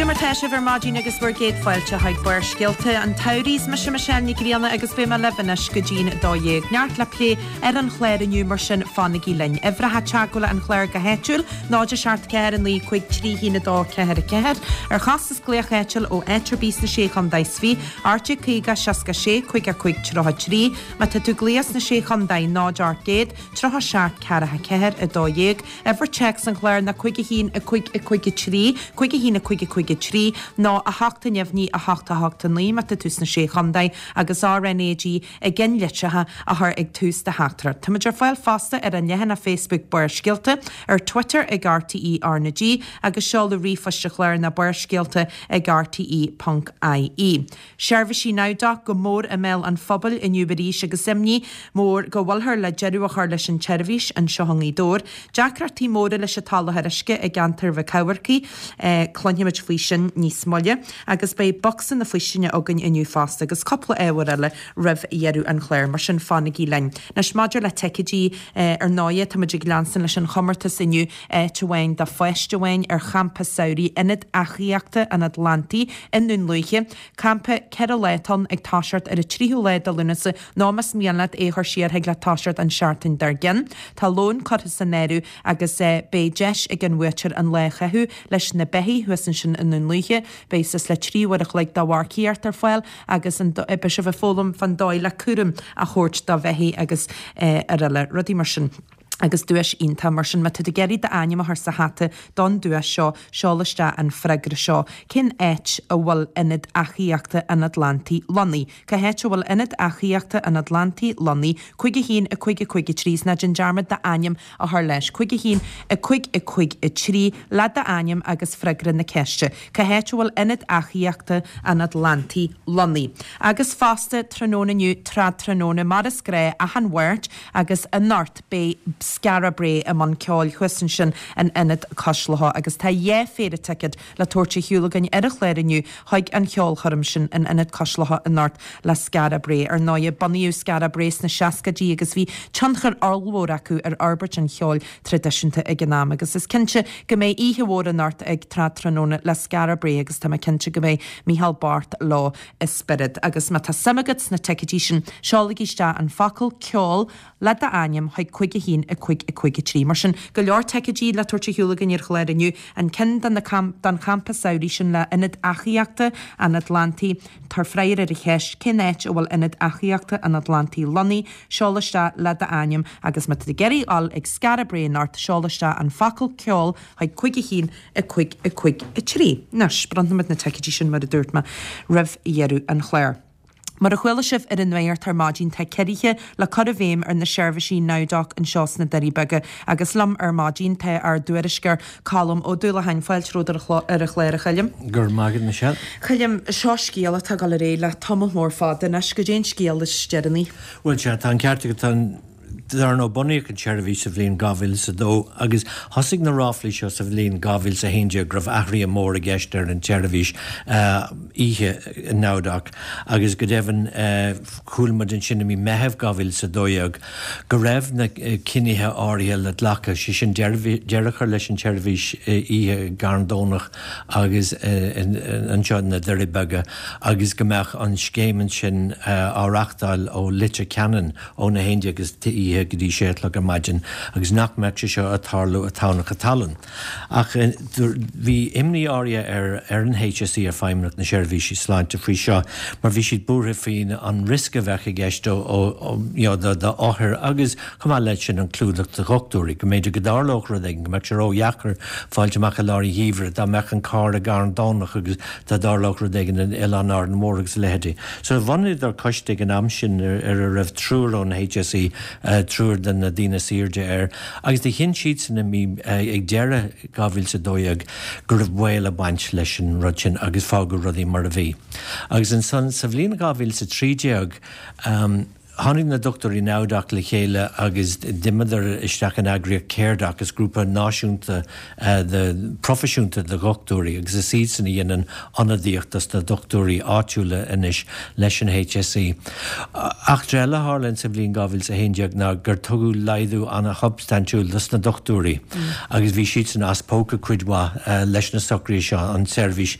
Goidé mar tá sibh ar maidin agus bhur gcéad fáilte chuig Barrscéalta an tSamhraidh. Is mise Michelle Nic Grianna agus beidh mé libh anois go dtí'n 12. Neart le plé ar an chlár inniu mar sin fanaigí linn. Uimhreacha teagmhála an chláir go háitiúil, 0 7 4 9 5 3 1 2 4 4. Ar chostas glaoch áitiúil ó áit ar bith sna Sé Chontae is Fiche, 1850 66 55 33. Má tá tú ag glaoch sna Sé Chontae, 0 800 37 4 4 12. Uimhir téacs an chláir ná 5 1 5 5 3, 5 1 5 5 3, nó 8 neamhní 8 8 9 má tá tú sna Sé Chontae agus RnaG i gceannlitreacha a chur ag tús do theachtaireacht. Táimid ar fáil fosta ar an leathanach Facebook Barrscéalta, ar Twitter ag RTÉ RnaG agus seoladh ríomhphoist an chláir ná barrscéalta ag rte.ie. Seirbhísí NowDoc go mór i mbéal an phobail inniu arís agus imní mhór go bhfuilthear le deireadh a chur leis an tseirbhís anseo i nGaoth Dobhair. Deacrachtaí móra leis an tsoláthar uisce i gceantar Mhic Eamharcaigh, cluinfimid faoi sin níos moille. Agus beidh bocsa na faoistine againn inniu fosta agus cúpla ábhar eile roimh dheireadh an chláir, mar sin fanaigí linn. Anois maidir le ticéidí, ar ndóighe táimid ag leanstan leis an chomórtas inniu, áit amháin do pháiste amháin ar champa samhraidh Ionad Eachaíochta an Atlantaigh i nDún Lúiche. Campa 4 lá atá ann ag toiseacht ar an 3ú lá de Lúnasa nó más mian leat é a chur siar thig leat toiseacht an seachtain dár gcionn. Tá lón curtha san áireamh agus beidh deis ag an bhuaiteoir an lá a chaitheamh leis na beithígh thuas ansin i nDún Lúiche. Beidh suas le 3 uair a chloig de mharcaíocht ar fáil agus beidh sibh ag foghlaim fán dóigh le cúram a thabhairt do bheithígh agus araile, rudaí mar sin. Agus duais iontach mar sin, má tá tú ag iarraidh d'ainm a chur sa hata don duais seo, seol isteach an freagra seo, Cén áit a bhfuil Ionad Eachaíochta an Atlantaigh lonnaithe? Cá háit a bhfuil Ionad Eachaíochta an Atlantaigh lonnaithe? 5 1 5 5 3 Is ná déan dearmad d'ainm a chur leis. 5 1 5 5 3 Le d'ainm agus freagra na ceiste. Cá háit a bhfuil Ionad Eachaíochta an Atlantaigh lonnaithe? Agus fosta, tráthnóna inniu, tráthnóna, mar is gnáth, achan Mháirt, Agus anocht beidh Skara Brae i mbun ceoil thuas ansin in Ionad Cois Locha agus tá dhá phéire ticéad le tabhairt ar shiúl againn ar an chlár inniu chuig an cheolchoirm sin in Ionad Cois Locha anocht le Skara Brae. Ar ndóighe, bunaíodh Skara Brae sna seascaidí agus bhí tionchar ollmhór acu ar fhorbairt an cheoil traidisiúnta ag an am agus is cinnte go mbeidh oíche mhór anocht ag Tráthnóna le Skara Brae agus tá mé cinnte go mbeidh Micheál Bart leo i spiorad. Agus má tá suim agat sna ticéidí sin, seolaigí isteach an focal 'ceol' le d'ainm chuig 5 1 5 5 3. Mar sin, go leor ticéidí le tabhairt ar shiúl againn ar an chlár inniu. An ceann do na don champa samhraidh sin le Ionad Eachaíochta an Atlantaigh. Tabhair freagra ar an cheist, cén áit a bhfuil Ionad Eachaíochta an Atlantaigh lonnaithe? Seol isteach le d'ainm agus má tá tú ag iarraidh a dhul ag Skara Brae anocht, seol isteach an focal 'ceol' chuig 5 1 5 5 3. Anois, bronnfaimid na ticéidí sin, mar a dúirt mé, roimh dheireadh an chláir. Mar a chuala sibh ar an nuacht ar maidin, tá ciorruithe le cur i bhfeidhm ar na seirbhísí NowDoc anseo sna Doirí Beaga agus liom ar maidin tá ár dtuairisceoir Colm Ó Dúlacháin. Fáilte romhat ar an chlár, a Choilm. Go raibh maith agat, Michelle. Choilm, seo scéal atá ag dul ar aghaidh le tamall mór fada anois. Goidé an scéal is deireanaí? Bhuel, sea, tá an ceart agat. Tá an. Dar ndóigh, bunaíodh an tseirbhís sa bhliain 2002 agus thosaigh na ráflaí seo sa bhliain 2011 go raibh athruithe móra i gceist ar an tseirbhís oíche NowDoc agus go deimhin chuala muid ansin i mí Meitheamh 2012 go raibh na cinnithe áirithe le glacadh, sé sin deireadh a chur leis an tseirbhís oíche i gCarn Domhnach agus anseo na Doirí Beaga agus go mbeadh an scéim ansin á reachtáil ó Leitir Ceanainn. Óna 11 istoíche go dtí sé a chlog ar maidin agus nach mbeadh sé seo ag tarlú i dTamhnach Tallann. Ach bhí imní áirithe ar ar an HSE, ar Feidhmeannacht na Seirbhísí Sláinte faoi seo mar bhí siad buartha faoin an riosca a bheadh i gceist ó you know do d'othair agus chomh maith leis sin an clúdach do dhochtúirí, go mb'fhéidir go dtarlódh rud éigin, go mbeadh sé ródheacair fáilt amach i lár an gheimhridh dá mbeadh an carr i gCarn Domhnach agus dá dtarlódh rud éigin in Oileán Árainn Mhór agus a leithéidí. So bhunaíodar coiste ag an am sin ar a raibh triúr ón HSE, triúr de na daoine is airde air, agus do chinn siadsan i mí, ag deireadh 2012 go raibh baol ag baint leis an rud sin agus fágadh rudaí mar a bhí. Agus ansan sa bhliain 2013, Tháinig na dochtúirí NOWDOC le chéile agus d'imíodar isteach in eagraíocht Caredoc, is grúpa náisiúnta de proifisiúnta de dhochtúirí agus is iadsan a dhéanann ionadaíocht dos na dochtúirí áitiúla anois leis an HSE. Eachtra eile a tharla insa bhliain 2011 ná gur tugadh laghdú ana-shubstaintiúil dos na dochtúirí agus bhí siadsan as póca cuid mhaith leis na socruithe seo, an tseirbhís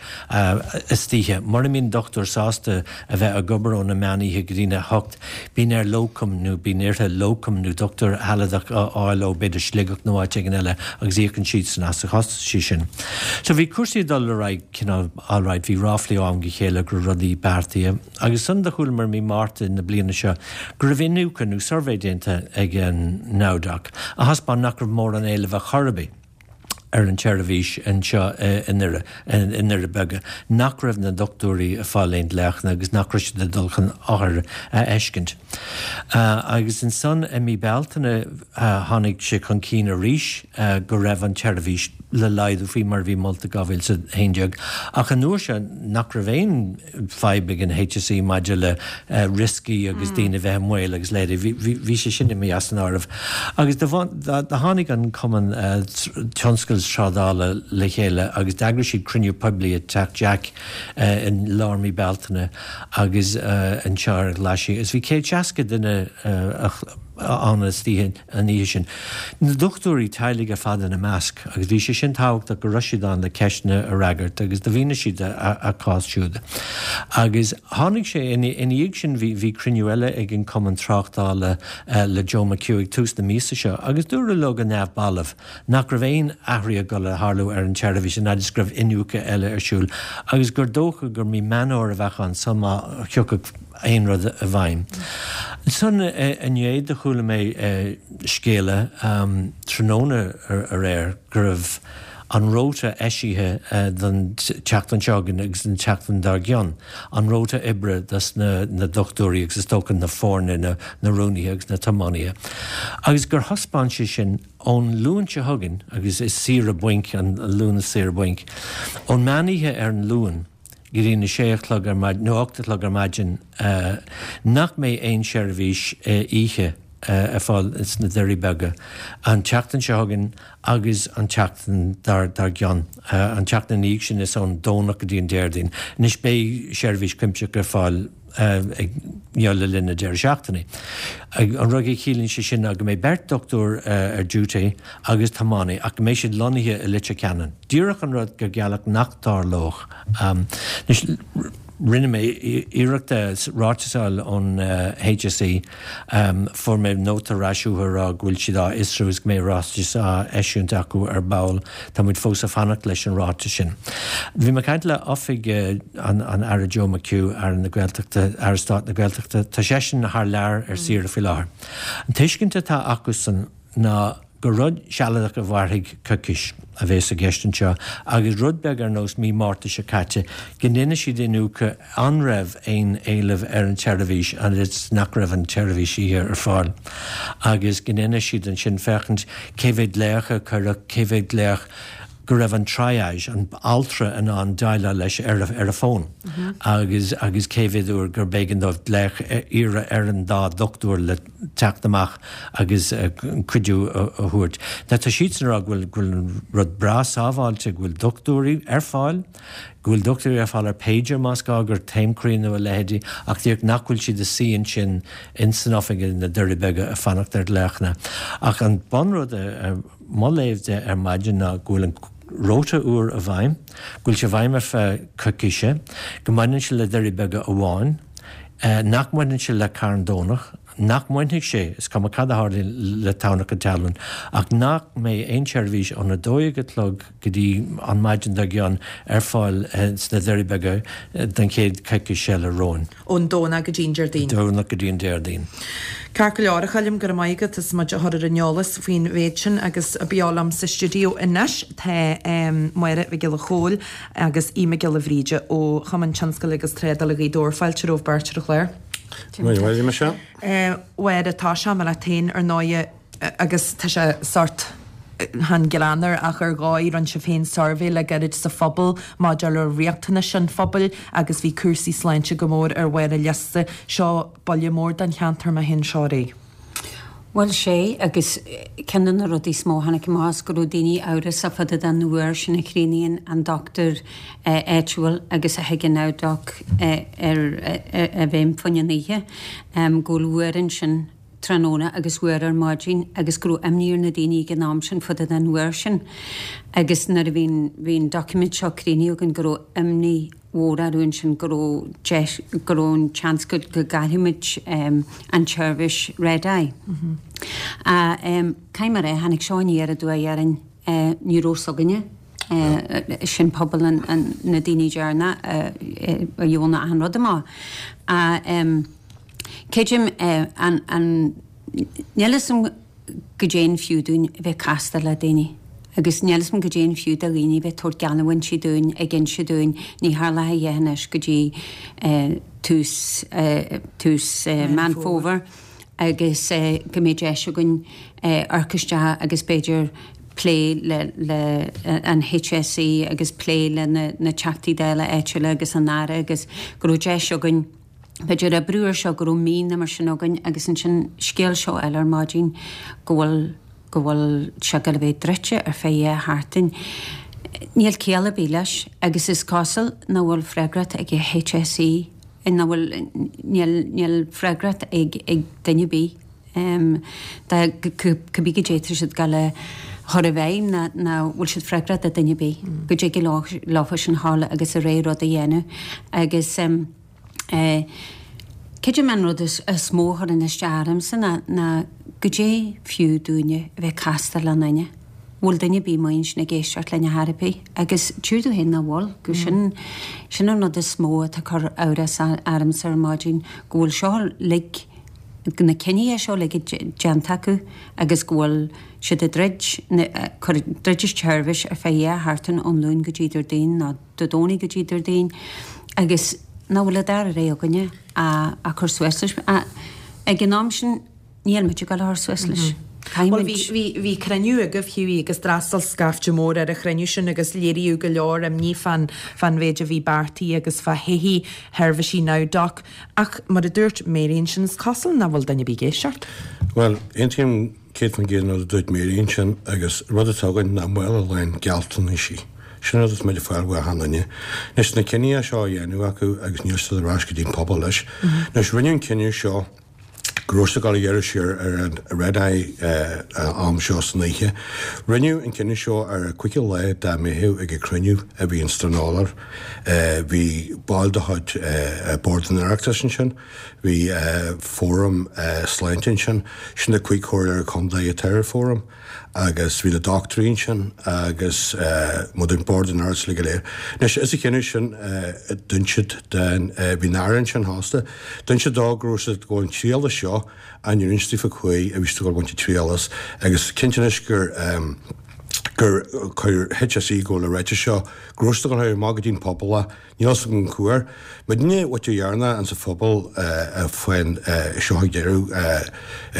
istoíche. Mura mbíonn dochtúir sásta a bheith ag obair óna meán oíche go dtína hocht, bíonn air locum nó bíonn uirthi locum nó dochtúir shealadach a fháil ó b'fhéidir Sligeach nó áit éigin eile agus íocann siadsan as an chostas sin. So bhí cúrsaí ag dul ar aghaidh cineál alright, bhí ráflaí ó am go chéile go raibh rudaí beartaithe agus ansan do chualamar mí Márta na bliana seo go raibh iniúchadh nó suirbhé déanta ag an NOWDOC a thaispeáin nach raibh mórán éilimh ar chor ar bith. ar an tseirbhís anseo i nDoire, i nDoirí Beaga, nach raibh na dochtúirí ag fáil aon ghlaochanna agus nach raibh siad ag dul chun othair a fheiscint. Agus ansan i mí Bealtaine tháinig sé chun cinn arís go raibh an tseirbhís le laghdú faoi mar a bhí molta 2011 ach an uair seo nach raibh aon fadhb ag an HSE maidir le rioscaí agus daoine a bheith i mbaol agus leithéidí. Bhí sé sin imithe as an áireamh. Agus do tháinig an Cumann Tionscail is Trádála le chéile agus d'eagraigh siad cruinniú poiblí i dTeach Jack i lár mí Bealtaine agus anseo ar an Ghlaisigh agus bhí 160 duine ann istoíche. an oíche sin. Na dochtúirí teaghlaigh ar fad ina measc, agus bhí sé sin tábhachtach go raibh siad ann le ceisteanna a fhreagairt agus do mhínigh siad a gcás siúd. Agus tháinig sé, ina dhiaidh sin bhí bhí cruinniú eile ag an Cumann Tráchtála le Joe McHugh ag tús na míosa seo agus dúradh leo go neamhbalbh nach raibh aon athruithe ag dul a tharlú ar an tseirbhís an fhad is go raibh iniúchadh eile ar siúl agus gur dócha gur mí Meán Fhómhair a bheadh ann sul má thiocfadh aon rud i bhfeidhm. Ansan inné do chuala mé scéala tráthnóna aréir go raibh an rota eisithe don tseachtain seo chugainn agus don tseachtain dár gcionn, an rota oibre dos na dochtúirí agus is dócha na foirne, na rúnaithe agus na tiománaithe, agus gur thaispeáin sé sin ón Luan seo chugainn, agus is saoire bainc an Luan is saoire bainc, ón meán oíche ar an Luan, go dtí na sé a chlog ar maidin, nó 8 a chlog ar maidin, nach mbeidh aon seirbhís oíche ar fáil sna Doirí Beaga an tseachtain seo chugainn agus an tseachtain dár gcionn. An tseachtain ina dhiaidh sin is ón Domhnach go dtí an Déardaoin. Anois beidh seirbhís cuimsitheach ar fáil ag you know le linn na deireadh seachtaine. An rud a chiallaíonn sé sin ná go mbeidh beirt dochtúir ar duty agus tiománaí ach go mbeidh siad lonnaithe i Leitir Ceanainn. Díreach an rud gur gealladh nach dtarlódh. Anois rinne mé iarracht ráiteas a fháil ón HSE. Fuair mé nóta ar ais uathu a rá go bhfuil siad á fhiosrú is go mbeidh ráiteas á eisiúint acu ar ball. Tá muid fós ag fanacht leis an ráiteas sin. Bhí mé ag caint le oifig an Aire Joe McHugh, Aire na Gaeltachta, Aire Stáit na Gaeltachta. Tá seisean thar lear ar saoire faoi láthair. An tuiscint atá acusan ná gur rud sealadach a mhairfidh coicís a bhéas i gceist anseo agus rud beag ar nós mí Márta seo caite go ndéanfaidh siad iniúchadh an raibh aon éileamh ar an tseirbhís agus nach raibh an tseirbhís oíche ar fáil agus go ndéanfaidh siad ansin féachaint cé mhéad glaoch a cuireadh, cé mhéad glaoch go raibh an triage, an altra in ann déileáil leis ar a fón agus agus cé mhéad uair gur b'éigean dóibh glaoch iarraidh ar an dá dhochtúir le teacht amach agus cuidiú a thabhairt. Now tá siadsan ag rá go bhfuil go bhfuil an rud breá sábháilte, go bhfuil dochtúirí ar fáil, go bhfuil dochtúirí ar fáil ar pager más gá gur taom croí nó a leithéidí ach díreach nach bhfuil siad ag suí ansin in san oifig na Doirí Beaga ag fanacht ar ghlaochanna. Ach an bunrud a mo léamh de ar maidin ná go bhfuil an rota úr i bhfeidhm, go bhfuil sé i bhfeidhm ar feadh coicíse, go mbaineann sé le Doirí Beaga amháin, nach mbaineann sé le Carn Domhnach, nach mbainfidh sé, is cuma cad a tharlaíonn le Tamhnach an Tealann, ach nach mbeidh aon tseirbhís óna 12 a chlog go dtí an maidin dár gcionn ar fáil sna Doirí Beaga don chéad choicís eile romhainn. Ón Domhnach go dtí an Déardaoin. Domhnach go dtí an Déardaoin. Ceart go leor, a Choilm, go raibh maith agat as muid a chur ar an eolas faoin mhéid sin agus beo liom sa stiúideo anois tá Máire Mhic Giolla Chóill agus Aodh Mac Giolla Bhríde ó Chumann Tionscail agus Trádála Ghaoth Dobhair. Fáilte romhaibh beirt ar an chlár. Maith Michelle. Mháire, tosóidh mé leat féin ar ndóighe agus tá sé sórt. Chan greannmhar ach ar dhóigh, rinne sibh féin suirbhé le gairid sa phobal maidir le riachtanais an phobail agus bhí cúrsaí sláinte go mór ar bharr an liosta. Seo buille mór don cheantar má théann seo ar aghaidh. Bhuel, sé, agus ceann de na rudaí is mó a tháinig amach is go raibh daoine amhrasach fá dtaobh den uair sin a chríochnaíonn an dochtúir áitiúil agus a thuigeann NowDoc ar a bhfeidhm fá choinne an oíche, go bhfuil uair ansin tráthnóna agus uair ar maidin agus go raibh imní ar na daoine ag an am sin fá dtaobh den uair sin agus nuair a bhí an bhí an doiciméad seo críochnaithe againn go raibh imní mhór orthu ansin go raibh deis go raibh an tseans go go gcaillfimid an tseirbhís Red Eye. Caithfidh mé a rá tháinig seo aniar aduaidh orainn ní raibh fhios againne sin pobal an na daoine deireanach a gheobhann achan rud amach. Creidim an, an, níl fhios a'm goidé an fiú dúinn a bheith casta le daoine agus níl fhios a'm goidé an fiú do dhaoine a bheith ag tabhairt geallamhaintí dúinn ag inse dúinn ní tharlóidh a dhath anois go dtí tús, tús Meán Fómhair agus go mbeidh deis againn amharc isteach agus b'fhéidir plé le, le an HSE agus plé le na, na Teachtaí Dála áitiúla agus an Aire agus go raibh deis againn b'fhéidir oibriú ar seo go raibh mí nó mar sin againn agus ansin scéal seo eile ar maidin go bhfuil go bhfuil sé ag dul a bheith druidte ar feadh dhá sheachtain. Níl ciall ar bith leis agus is cosúil nach bhfuil freagracht ag HSE nach bhfuil níl níl freagracht ag ag duine ar bith dá cibé goidé tá siad ag dul a chur i bhfeidhm ná nach bhfuil siad freagrach do duine ar bith go dtig leo leofa sin a ghabháil agus a rogha rud a dhéanamh agus Creidim an rud is mó a chuireann isteach ormsa ná ná goidé fiú dúinne a bheith casta le duine. Bhfuil duine ar bith amuigh ansin ag éisteacht linn ar chor ar bith agus deir tú féin nach bhfuil, go sin sin an rud is mó atá ag cur amhras ormsa ar maidin go bhfuil seo uilig na cinntí seo uilig déanta acu agus go bhfuil siad ag druid cur druid an tseirbhís ar feadh dhá sheachtain ón Luan go dtí Déardaoin nó Dé Domhnaigh go dtí Déardaoin agus nach bhfuil an dara rogha againne ach cur suas leis. Ag an am sin níl muid ag dul a chur suas leis. Bhuel bhí, bhí, bhí cruinniú agaibh Hughie agus d'fhreastail scaifte mór ar an chruinniú sin agus léiríodh go leor imní fán, fán mhéid a bhí beartaithe agus fá thodhchaí sheirbhísí NowDoc. Ach mar a dúirt Mary ansin is cosúil nach bhfuil duine ar bith ag éisteacht. Bhuel, aontaím 100% an rud a dúirt Mary ansin agus rud atá againn ná mála lán gealltanaisí. Sin rud atá muid ag fáil ó achan duine. Anois na cinní seo á dhéanamh acu agus níl siad ar ais go dtí an pobal leis. Anois rinneadh an cinneadh seo go raibh siad ag dul a ghearradh siar ar an Red Eye an am seo san oíche. Rinneadh an cinneadh seo ar an 5ú lá de Mheitheamh ag an cruinniú a bhí in Stranorlar. Bhí baill de chuid Bord an Oireachtais ansin. Bhí fóram sláinte ansin, sin na 5 chomhairleoir contae atá ar an fóram agus bhí na dochtúirí ansin agus muid an Bord an Oireachtais uilig go léir. Anois is an chinneadh sin d'inis siad den, bhí an Aire ansin fosta, d'inis siad dó go raibh siad ag baint triail as seo ach níor inis daofa cá huair a bhí siad ag dul a bhaint triail as agus cinnte anois gur gur chuir HSE go bhfuil a ráiteas seo go raibh siad ag dul amach go dtí an pobal Níl fhios agam cá huair. Muidne mhuintir dheireanach insa phobal faoin seo ag deireadh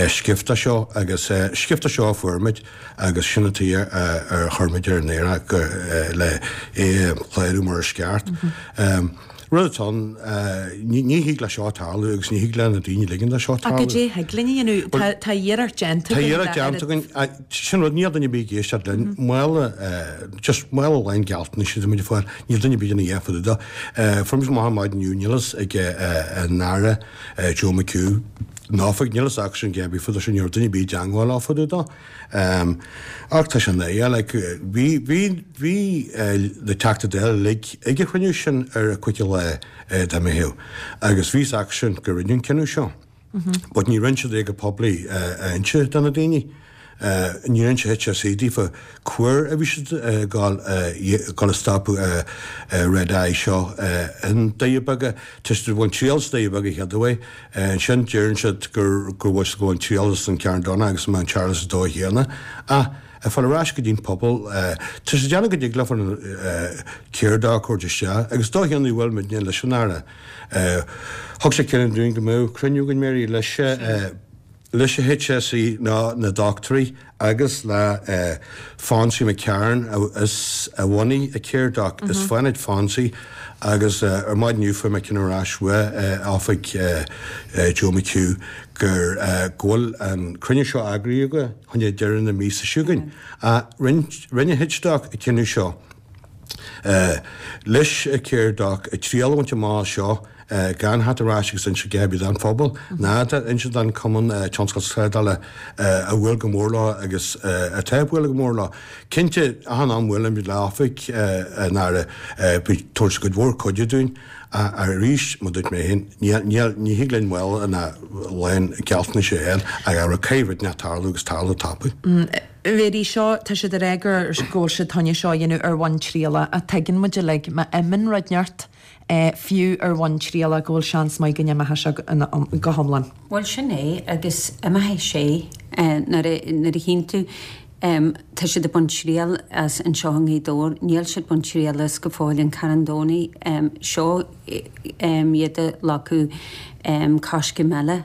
sciofta seo agus sciofta seo a fuair muid agus sin an tuige ar chuir muid ar an aer le é a chlárú mar is ceart. Rud atá ann, ní thig le seo tarlú agus ní thig le na daoine ligean do seo tarlú. Ach goidé thig linn a dhéanamh? Tá iarracht déanta againn. Tá iarracht déanta againn. Sin rud, níl duine ar bith ag éisteacht linn. Mála, just mála lán gealltanais atá muid ag fáil. Níl duine ar bith ag déanamh a dhath fá dtaobh de. Fuair muid amach ar maidin inniu, níl fhios ag an Aire Joe McHugh ná fá, níl fhios acusan a dhath ar bith fá dtaobh sin, ní raibh duine ar bith i dteangmháil leo fá dtaobh de. Ach tá sé náireach, like, bhí, bhí, bhí na Teachtaí Dála uilig ag an chruinniú sin ar an 5ú lá de Mheitheamh agus bhí fhios acusan gur rinneadh an cinneadh seo. But ní rinne siad é go poiblí a inse do na daoine. Níor inse HSE daofa cá huair a bhí siad ag dul a stopadh Red Eye seo i nDoirí Beaga. Tá siad ag baint triail as Doirí Beaga chéad uair. Ansin deireann siad gur go bhfuil siad ag baint triail as an Carn Donncha agus Mount Charles an dóigh chéanna. Ach ag fáil ar ais go dtí an pobal, tá siad ag déanamh go dtig leofa céard a thabhairt isteach agus dóigh chéanna a bhfuil muidne leis an Aire. Thug sé cinneadh dúinn go mbeadh cruinniú againn Mary leis. Leis an HSE ná na dochtúirí agus le Fonsie McCarron is a bhunaigh an Caredoc. Is fanfaidh Fonsie agus ar maidin inniu fuair mé ceann ar ais uaidh oifig Joe McHugh gur go bhfuil an cruinniú seo eagraithe acu chun deireadh na míosa seo chugainn. Rinne HDoc an cinneadh seo leis an Caredoc triail a bhaint amach as seo gan theacht ar ais agus inse a dhath ar bith don phobal ná inse don Chumann Tionscal Trádála a bhuail go mór leo agus atá ag bualadh go mór leo. Cinnte, achan am buailimid le oifig an Aire, bíonn tabhairt cuid mhór cuidiú dúinn ach arís, mar dúirt mé féin, ní thig linn mála lán gealltanais a fháil ach abair caithfidh rud inteacht tarlú agus tarlú tapaidh. Mary, seo, tá siad ag rá gur go bhfuil siad chun é seo a dhéanamh ar bhonn trialach ach tuigeann muid uilig má imíonn rud inteacht fiú ar bhonn trialach go bhfuil seans maith go n-imeoidh sé go hiomlán. Bhuel sin é agus imeoidh sé nuair a nuair a chíonn tú tá siad ag baint triail as anseo i nGaoth Dobhair, níl siad ag baint triail as go fóill in Carn Domhnaigh, seo iad ag glacadh coiscéim eile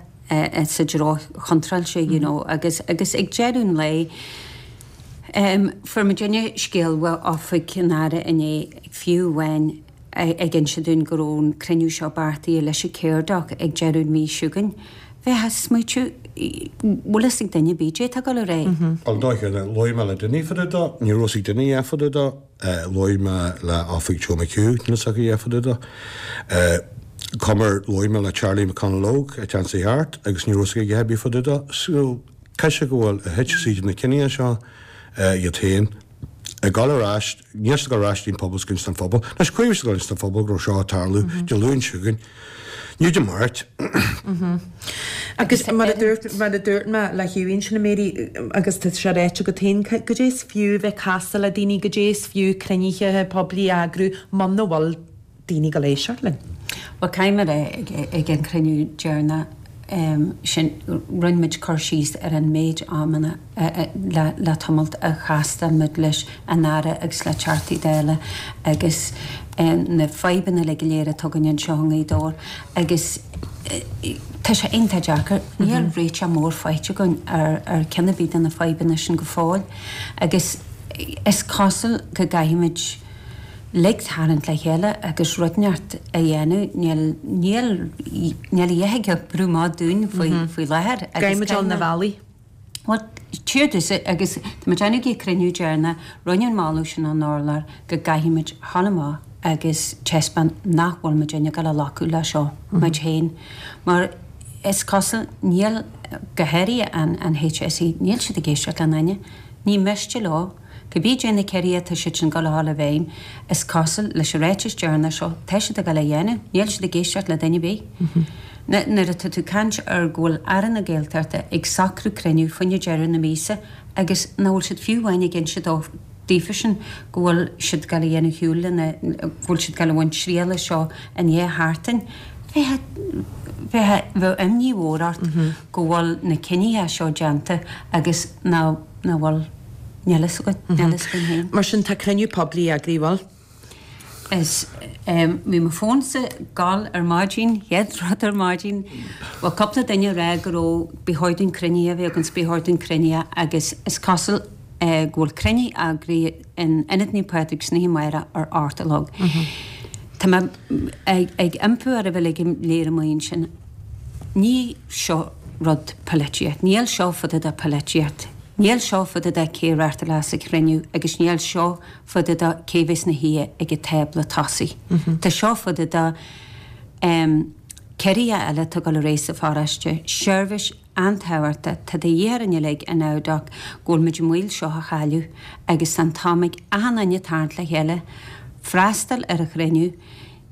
sa dtreo chontráilte you know agus agus ag deireadh an lae fuair muidinne scéal ó oifig an Aire inné fiú amháin ag inse dúinn go raibh an cruinniú seo beartaithe leis an Caredoc ag deireadh an mhí seo chugainn. Bheifeá ag smaoitiú, bhfuil fhios ag duine ar bith caidé atá ag dul ar aghaidh? Bhuel, dóigh chéanna, labhair mé le duine fá dtaobh dó, ní raibh fhios ag duine a dhath fá dtaobh dó, labhair mé le oifig Joe McHugh, níl fhios acu a dhath fá dtaobh dó. Comair, labhair mé le Charlie McConalogue ag Ansaí Hart agus ní raibh fhios aige a dhath ar bith fá dtaobh dó. So, caithfidh sé go bhfuil a HSE na cinntí seo iad féin. ag dul ar ais, níl siad ag dul ar ais dtí'n phobal is ag inse don phobal. Anois, chuaigh siad ag dul inse don phobal go raibh seo ag tarlú Dé Luain seo chugainn, ní Dé Máirt. Agus mar a dúirt, mar a dúirt mé le Hughie ansin, a Mary, agus tá sé ráite agat féin, goidé is fiú bheith ag castáil le daoine, goidé is fiú cruinnithe poiblí a eagrú muna bhfuil daoine ag dul éisteacht linn. Bhuel, caithfidh mé a rá, ag an chruinniú deireanach sin, rinne muid cur síos ar an méid amanna le tamalt a chastáil muid leis an Aire agus le Teachtaí Dála agus na fadhbanna uilig go léir atá againn anseo i nGaoth Dobhair agus tá sé iontach deacair. Níl réiteach mór faighte againn ar ceann ar bith de na fadhbanna sin go fóill agus is cosúil go gcaithfimid uilig tarraingt le chéile agus rud inteacht a dhéanamh. Níl, níl, níl a dhath ag oibriú maith dúinn faoi, faoi láthair agus Caithfidh muid dul na bealaí. Bhuel, tchífidh tusa agus tá muid ag déanamh ag an cruinniú deireanach, rinneadh an moladh sin ón urlár go gcaithfidh muid dhul amach agus taispeáint nach bhfuil muid ag dul a ghlacadh le seo, muid féin. Mar is cosúil, níl, go háirithe an, an HSE, níl siad ag éisteacht le n-éinne. Ní miste leo. Cibé caidé na ciorruithe atá siad sin ag dul a dhul i bhfeidhm, is cosúil, leis an ráiteas deireanach seo, tá siad ag dul a dhéanamh, níl siad ag éisteacht le duine ar bith. Nuair atá tú ag caint ar go bhfuil Aire na Gaeltachta ag socrú cruinniú faoina deireadh na míosa agus nach bhfuil siad fiú amháin ag inse daofa sin go bhfuil siad ag dul a dhéanamh shiúl lena, go bhfuil siad ag dul a bhaint triail as seo i ndiaidh sheachtain, bheadh, bheadh, bheadh imní mhór ort go bhfuil na cinnithe seo déanta agus nach, nach bhfuil. Níl fhios againn. Níl fhios againn féin. Mar sin, tá cruinniú poiblí eagraithe, bhfuil? Is bhí mo fónsa ag gol ar maidin, chéad rud ar maidin. Bhuel, cúpla duine ag rá go raibh, ba chóir dúinn cruinnithe a bheith againn, ba chóir dúinn cruinnithe agus is cosúil go bhfuil cruinniú eagraithe in Ionad Naomh Pádraig san oíche amárach ar 8 a chlog. Tá mé ag iompú oraibh uilig go léir amuigh ansin. Ní seo rud polaitíocht. Níl seo fá dtaobh de polaitíocht. Níl seo fá dtaobh de cé a reáchtálfas an cruinniú agus níl seo fá dtaobh de cé bheas ina shuí ag an tábla tosaigh. Tá seo fá dtaobh de ciorruithe eile atá ag dul ar aghaidh sa pharóiste, seirbhís an-tábhachtach, tá de dhíth orainn uilig in Abhadach go bhfuil muid i mbaol seo a chailleadh agus tá an t-am ag achan duine tarraingt le chéile, freastal ar an chruinniú.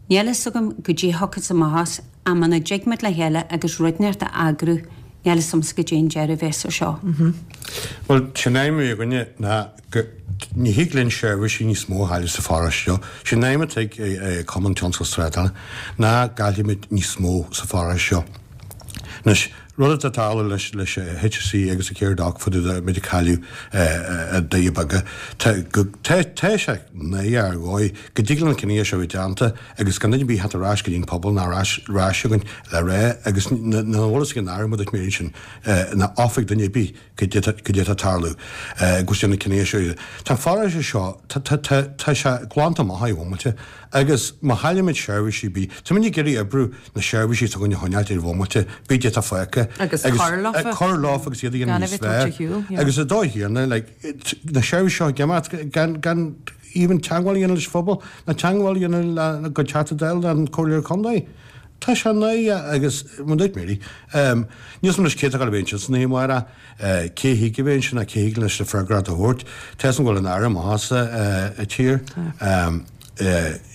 Níl fhios agam goidé a thiocfas amach as, ach muna dtig muid le chéile agus rud inteacht a eagrú, níl fhios agamsa goidé an deireadh a bheas ar seo. Bhuel, sé an aidhm a bhí againne ná go, ní thig linn seirbhísí níos mó a chailleadh sa pharóiste seo. Sé an aidhm atá ag Cumann Tionscal Trádála ná go gcaillfimid níos mó sa pharóiste seo. Anois. Rud atá ag tarlú leis leis HSE agus an Craoibhín fá dtaobh de muid ag cailleadh i Doirí Beaga. Tá tá tá sé náireach ar dhóigh go dtig le na cinnithe seo bheith déanta agus gan duine ar bith theacht ar ais go dtí an pobal ná ar ais ar ais chugainn le rá agus nach bhfuil fhios ag an Aire mar a dúirt Mary ansin ná oifig duine ar bith goidé goidé atá ag tarlú go bhfuil na cinnithe seo. Tá an pharóiste seo tá tá tá tá sé glanta amach ar bhomaite agus má chaillimid seirbhísí bídh táimid ag iarraidh oibriú na seirbhísí atá againn a choinneáilt ar bhomaite bídh atá fágtha Agus cur leofa. cur leofa agus iad a dhéanamh Gan a níos bheith tabhairt fearr ar shiúl, yeah. agus ar dóigh chéanna like na seirbhísí seo ag imeacht gan gan even teagmháil a dhéanamh leis an phobal ná teagmháil a dhéanamh le go Teachta Dála ná an Comhairleoir Contae. Tá sé náireach agus mar a dúirt Mary, níl 'fhios a'm anois cé atá ag gabháil a bheith ansin san oíche amárach, cé thig a bheith ansin ná cé thig leis na freagracht a thabhairt. Tá 'fhios a'm go bhfuil an Aire amach as an tír.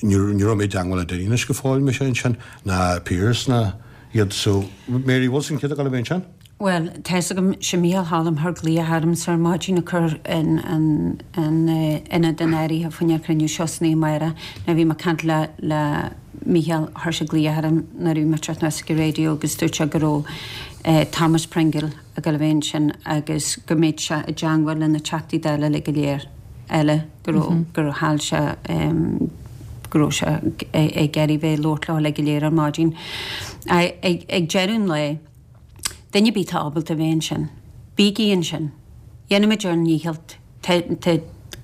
Ní raibh mé i dteangmháil le duine anois go fóill, mise ansin, ná Pearse ná iad. So, Mary, bhfuil 'fhios a'd cé atá ag gabháil a bheith ansin? Bhuel, tá 'fhios agam, sé Mícheál Choilm chuir glaoch ormsa ar maidin ag cur in ionad in áirithe fá choinne an chruinniú seo san oíche amárach. Now bhí mé ag caint le le Mícheál, chuir sé glaoch orm nuair a bhí mé ag teacht anuas ag an raidió agus dúirt sé go raibh Thomas Pringle ag dul a bheith ansin agus go mbeadh sé i dteangmháil le na Teachtaí Dála uilig go léir eile go raibh gur chaill sé go raibh sé ag iarraidh bheith ag labhairt leo uilig go léir ar maidin. Ag deireadh an lae, Duine ar bith atá ábalta a bheith ansin, bígí ansin. Déanfaimid ár ndícheall. Tá, tá,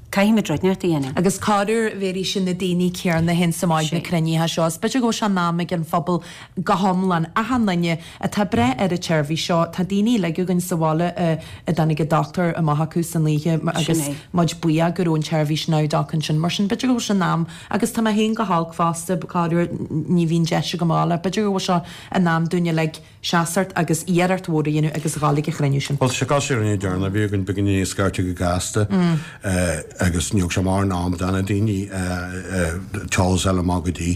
caithfimid rud inteacht a dhéanamh. Agus corruair bhéarfaidh sé na daoine céarna a théanns amach ag na cruinnithe seo. Is b'fhéidir go bhfuil sé in am ag an phobal go hiomlán, achan duine atá ag breith ar an tseirbhís seo. Tá daoine uilig againn sa bhaile a a dtáinig an dochtúir amach acu san oíche agus muid buíoch go raibh an tseirbhís NowDoc ansin. Mar sin b'fhéidir go bhfuil sé in am agus tá mé féin go holc fosta, corruair ní bhíonn deis agam a ghabháil ach b'fhéidir go bhfuil sé in am dúinn uilig seasacht agus iarracht mhór a dhéanamh agus a ghabháil ag an chruinniú sin. Bhuel, sé cás ar an deireanach a bhí againn, beagáinín níos scairte go gasta agus ní thug sé mórán am do na daoine t-eolas a fháil amach go dtí.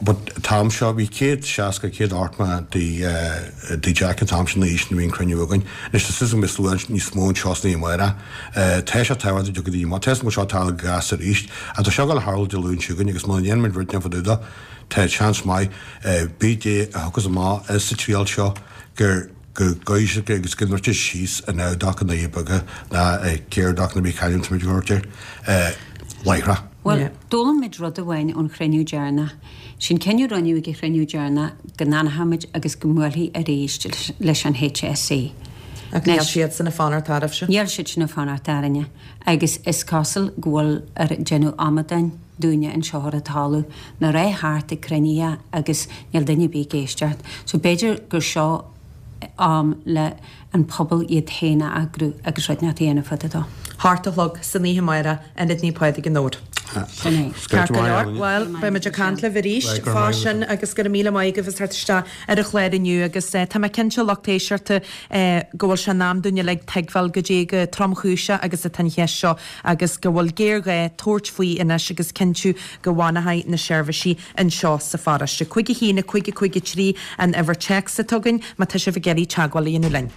But an t-am seo, bhí 160, 180 de de Jack an t-am sin na aois nuair a bhí an cruinniú againn. Anois tá suas go mbeidh slua níos mó anseo san oíche amárach. Tá sé tábhachtach go dtiocfaidh daoine amach. Tá 'fhios agam go bhfuil seo ag tarlú go gasta arís. Ach tá seo ag dul a tharlú Dé Luain seo chugainn agus muna ndéanaimid rud inteacht fá dtaobh dó, Tá seans maith, pé dé a thiocfas amach as an triail seo, gur go gcoisricfidh agus go ndruidfidh síos an NowDoc i nDoirí Beaga ná i Caredoc nó pé c'ainm atá muid ag labhairt air, láithreach. Bhuel, d'fhoghlaim muid rud amháin ón chruinniú deireanach. Sin cinneadh a rinneadh ag an chruinniú deireanach go n-fhanfadh muid agus go mbuailfí arís leis an HSE. Ach níl siadsan ag fanacht oraibhse. Níl siadsan ag fanacht orainne agus is cosúil go bhfuil ar déanamh amadáin. dúinne anseo ar an talamh, ná rith thart ag cruinnithe agus níl duine ar bith ag éisteacht. So b'fhéidir gur seo am le an pobal iad féin a eagrú agus rud inteacht a dhéanamh fá dtaobh dó. Hocht a chlog san oíche amárach, Ionad Naomh Pádraig i nDobhar. Sin é. Ceart go leor, bhuel, beidh muid ag caint libh arís fá sin agus go raibh míle maith agaibh as teacht isteach ar an chlár inniu agus tá mé cinnte, lucht éisteachta, go bhfuil sé in am dúinn uilig tuigbheáil goidé chomh tromchúiseach agus atá an cheist seo agus go bhfuil géarghá tabhairt faoi anois agus cinntiú go bhfanfaidh na seirbhísí anseo sa pharóiste. 5 1 5 5 3 an uimhir téacs atá againn má tá sibh ag iarraidh teagmháil a dhéanamh linn.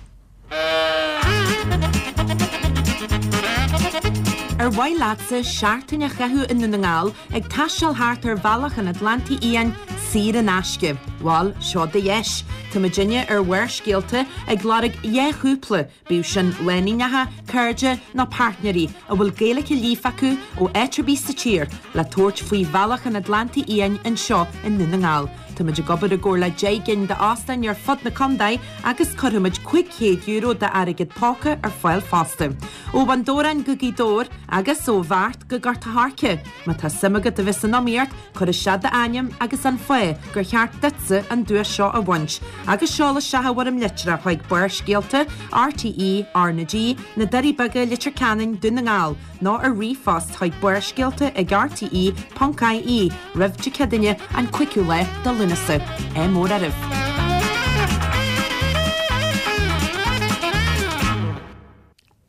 Ar mhaith leatsa seachtain a chaitheamh i nDún na nGall ag taisteal thart ar Bhealach an Atlantaigh Fhiáin saor in aisce? Bhal, seo do dheis! Tá muidinne ar Bharrscéalta ag lorg 2 chúpla Bíodh sin lánúineacha, cairde nó páirtnéirí a bhfuil Gaeilge líofa acu ó áit ar bith sa tír le tabhairt faoi Bhealach an Atlantaigh Fhiáin anseo i nDún na nGall. Táimid ag obair i gcomhar le 10 gcinn d'óstáin ar fud na contae agus cuirfimid €500 d'airgead póca ar fáil fosta. Ó Bhun Dobhráin go Gaoth Dobhair agus ó Bheart go Gort a' Choirce. Má tá suim agat a bheith san iomaíocht, Cuir isteach d'ainm agus an fáth gur cheart duitse an duais seo a bhaint agus seol isteach i bhfoirm litreach chuig Barrscéalta, RTÉ, R na G, Na Doirí Beaga, Leitir Ceanainn, Dún na nGall, nó ar ríomhphost chuig barrscéalta ag rte ponc ie roimh Dé Céadaoine an 5ú lá de Lúnasa. Ádh mór oraibh!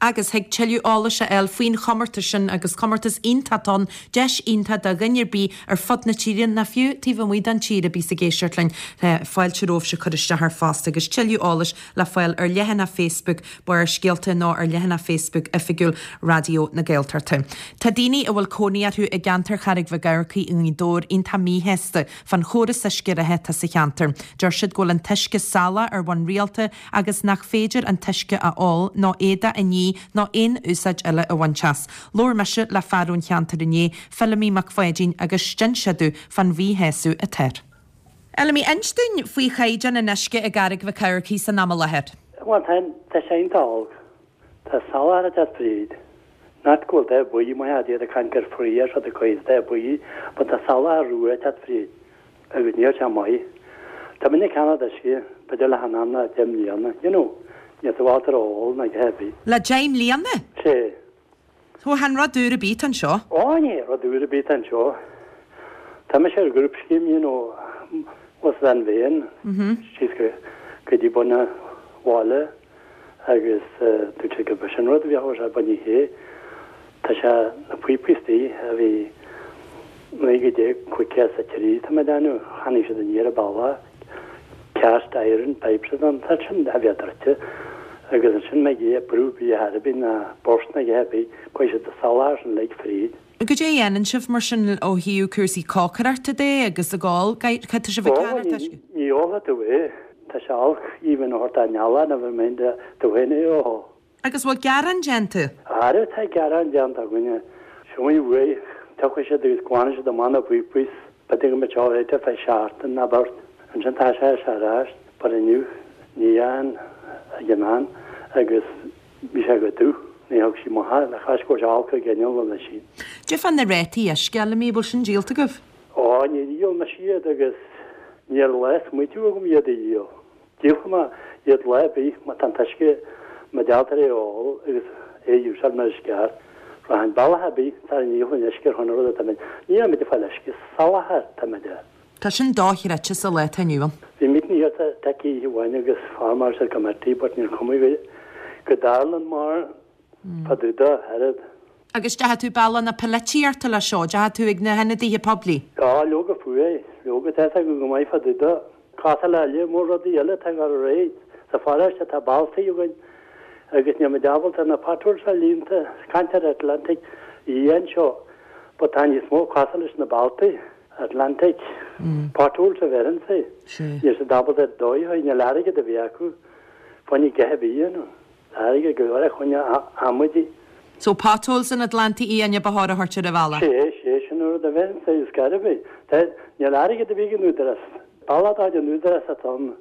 Agus thig tuilleadh eolais a fháil faoin chomórtas sin, agus comórtas iontach atá ann, deis iontach do dhuine ar bith ar fud na tíre, nó fiú taobh amuigh den tír a bíos ag éisteacht linn, fáilte romhaibhse cur isteach air fosta, agus tuilleadh eolais le fáil ar leathanach Facebook Barrscéalta nó ar leathanach Facebook oifigiúil Raidió na Gaeltachta. Tá daoine a bhfuil cónaí orthu i gceantar Charraig Mhic Eamharcaigh i nGaoth Dobhair iontach míshásta fán chóras uisce reatha atá sa cheantar. Deir siad go bhfuil an t-uisce salach ar bhonn rialta agus nach féidir an t-uisce a ól nó éadach a ní nó aon úsáid eile a bhaint as. Labhair mise le fear ón cheantar inné, Feilimí Mac Pháidín, agus d'inis sé domh fán mhíshásamh atá air. Fheilimí, inis dúinn faoi chaighdeán an uisce i gCarraig Mhic Eamharcaigh san am i láthair. Bhuel, tá, tá sé iontach olc. Tá salachar ag teacht fríd. Not go bhfuil dath buí, maith iad ag caint gur fraoch seo de cuid dath buí, but tá salachar rua ag teacht fríd. Agus níl sé maith. Tá mé ag ceannach uisce, b'fhéidir le anam le deich mbliana, you know, níl tú ábalta a ól ná a dhath ar bith. Le deich mbliana? Sea. So chan rud úr ar bith atá anseo? Ó, ní rud úr ar bith atá anseo. Tá mise ar group scheme, you know, was an bhéan, síos go go dtí bun an bhaile. agus dúirt sé gurb sin rud a bheadh ar bun oíche. Tá sé na píopaí istigh a bhí 1953 tá mé ag déanamh, cheannaigh siad aniar an bealach, cast iron pipes a ann, tá sin a bheith druidte agus ansin mbeidh é brú bia ar bith ná burst ná a dhath ar bith, cuirfidh siad an salachar sin uilig fríd. Goidé a dhéanann sibh mar sin ó thaobh cúrsaí cócaireachta de agus ag ól, cad tá sibh ag Ó, ceannacht uisce? ní ólfaidh tú é. Tá sé olc, even a thabhairt dá ndealach, never mind tú féin é a ól. Agus bhfuil gearán déanta? Ara tá gearán déanta againne. Siúil uaidh, tiocfaidh siad agus glanfaidh siad amach na píopaí 's b'fhéidir go mbeidh seo réiteach fé sheachtain ná beirt. Ansin tá sé ar ais, but inniu ní dheachain ag an mbean agus Bhí sé go dubh. Ní thug sí maith le cás go raibh sé olc ag inneall an oisín. Cad é fá na rátaí uisce, Fheilimí, bhfuil sin díolta agaibh? Ó, níor dhíol mise iad agus níl lá smaoitiú agam iad a dhíol. Díolfaidh mé iad lá ar bith má tá an t-uisce má d'fhéadfar é a ól agus é a úsáid mar is ceart. Rachainn bealach ar bith sara ndíolfainn uisce ar shon an rud atá mé. Níl muid ag fáil uisce, salachar atá muid air. Tá sin dochreidte sa lá atá inniu ann. Bhí meeting here sa teic oíche amháin agus formáil siad committee but níor chuma go go dtarlann mar fá dtaobh dó oiread. Agus deachaigh tú bealach na polaitíochta leis seo, deachaigh tú ag na hionadaithe poiblí? Á, leoga fiú é, leoga tá fhios acu go maith fá dtaobh dó. Cosúil le lear mór rudaí eile atá ag dul ar aghaidh sa pharóiste tá bealtaí againn agus níl muid ábalta na potholes a líonta, caint ar Atlantic Oíche anseo but tá níos mó cosúil leis na bealtaí. Atlantic potholes a bheireann sé. Níl siad ábalta ar dóigh a níl airgead a bheith acu fá choinne a dhath ar bith a dhéanamh. Tá airgead go leor fá choinne amaidí. So potholes in Atlantic Uaine ba chóir a thabhairt ar an bhealach. Sé, sé, sin an rud a bheireann sé, is gairbh é. Tá, níl airgead a bith ag an Údarás. Bealach dá an Údarás atá ann.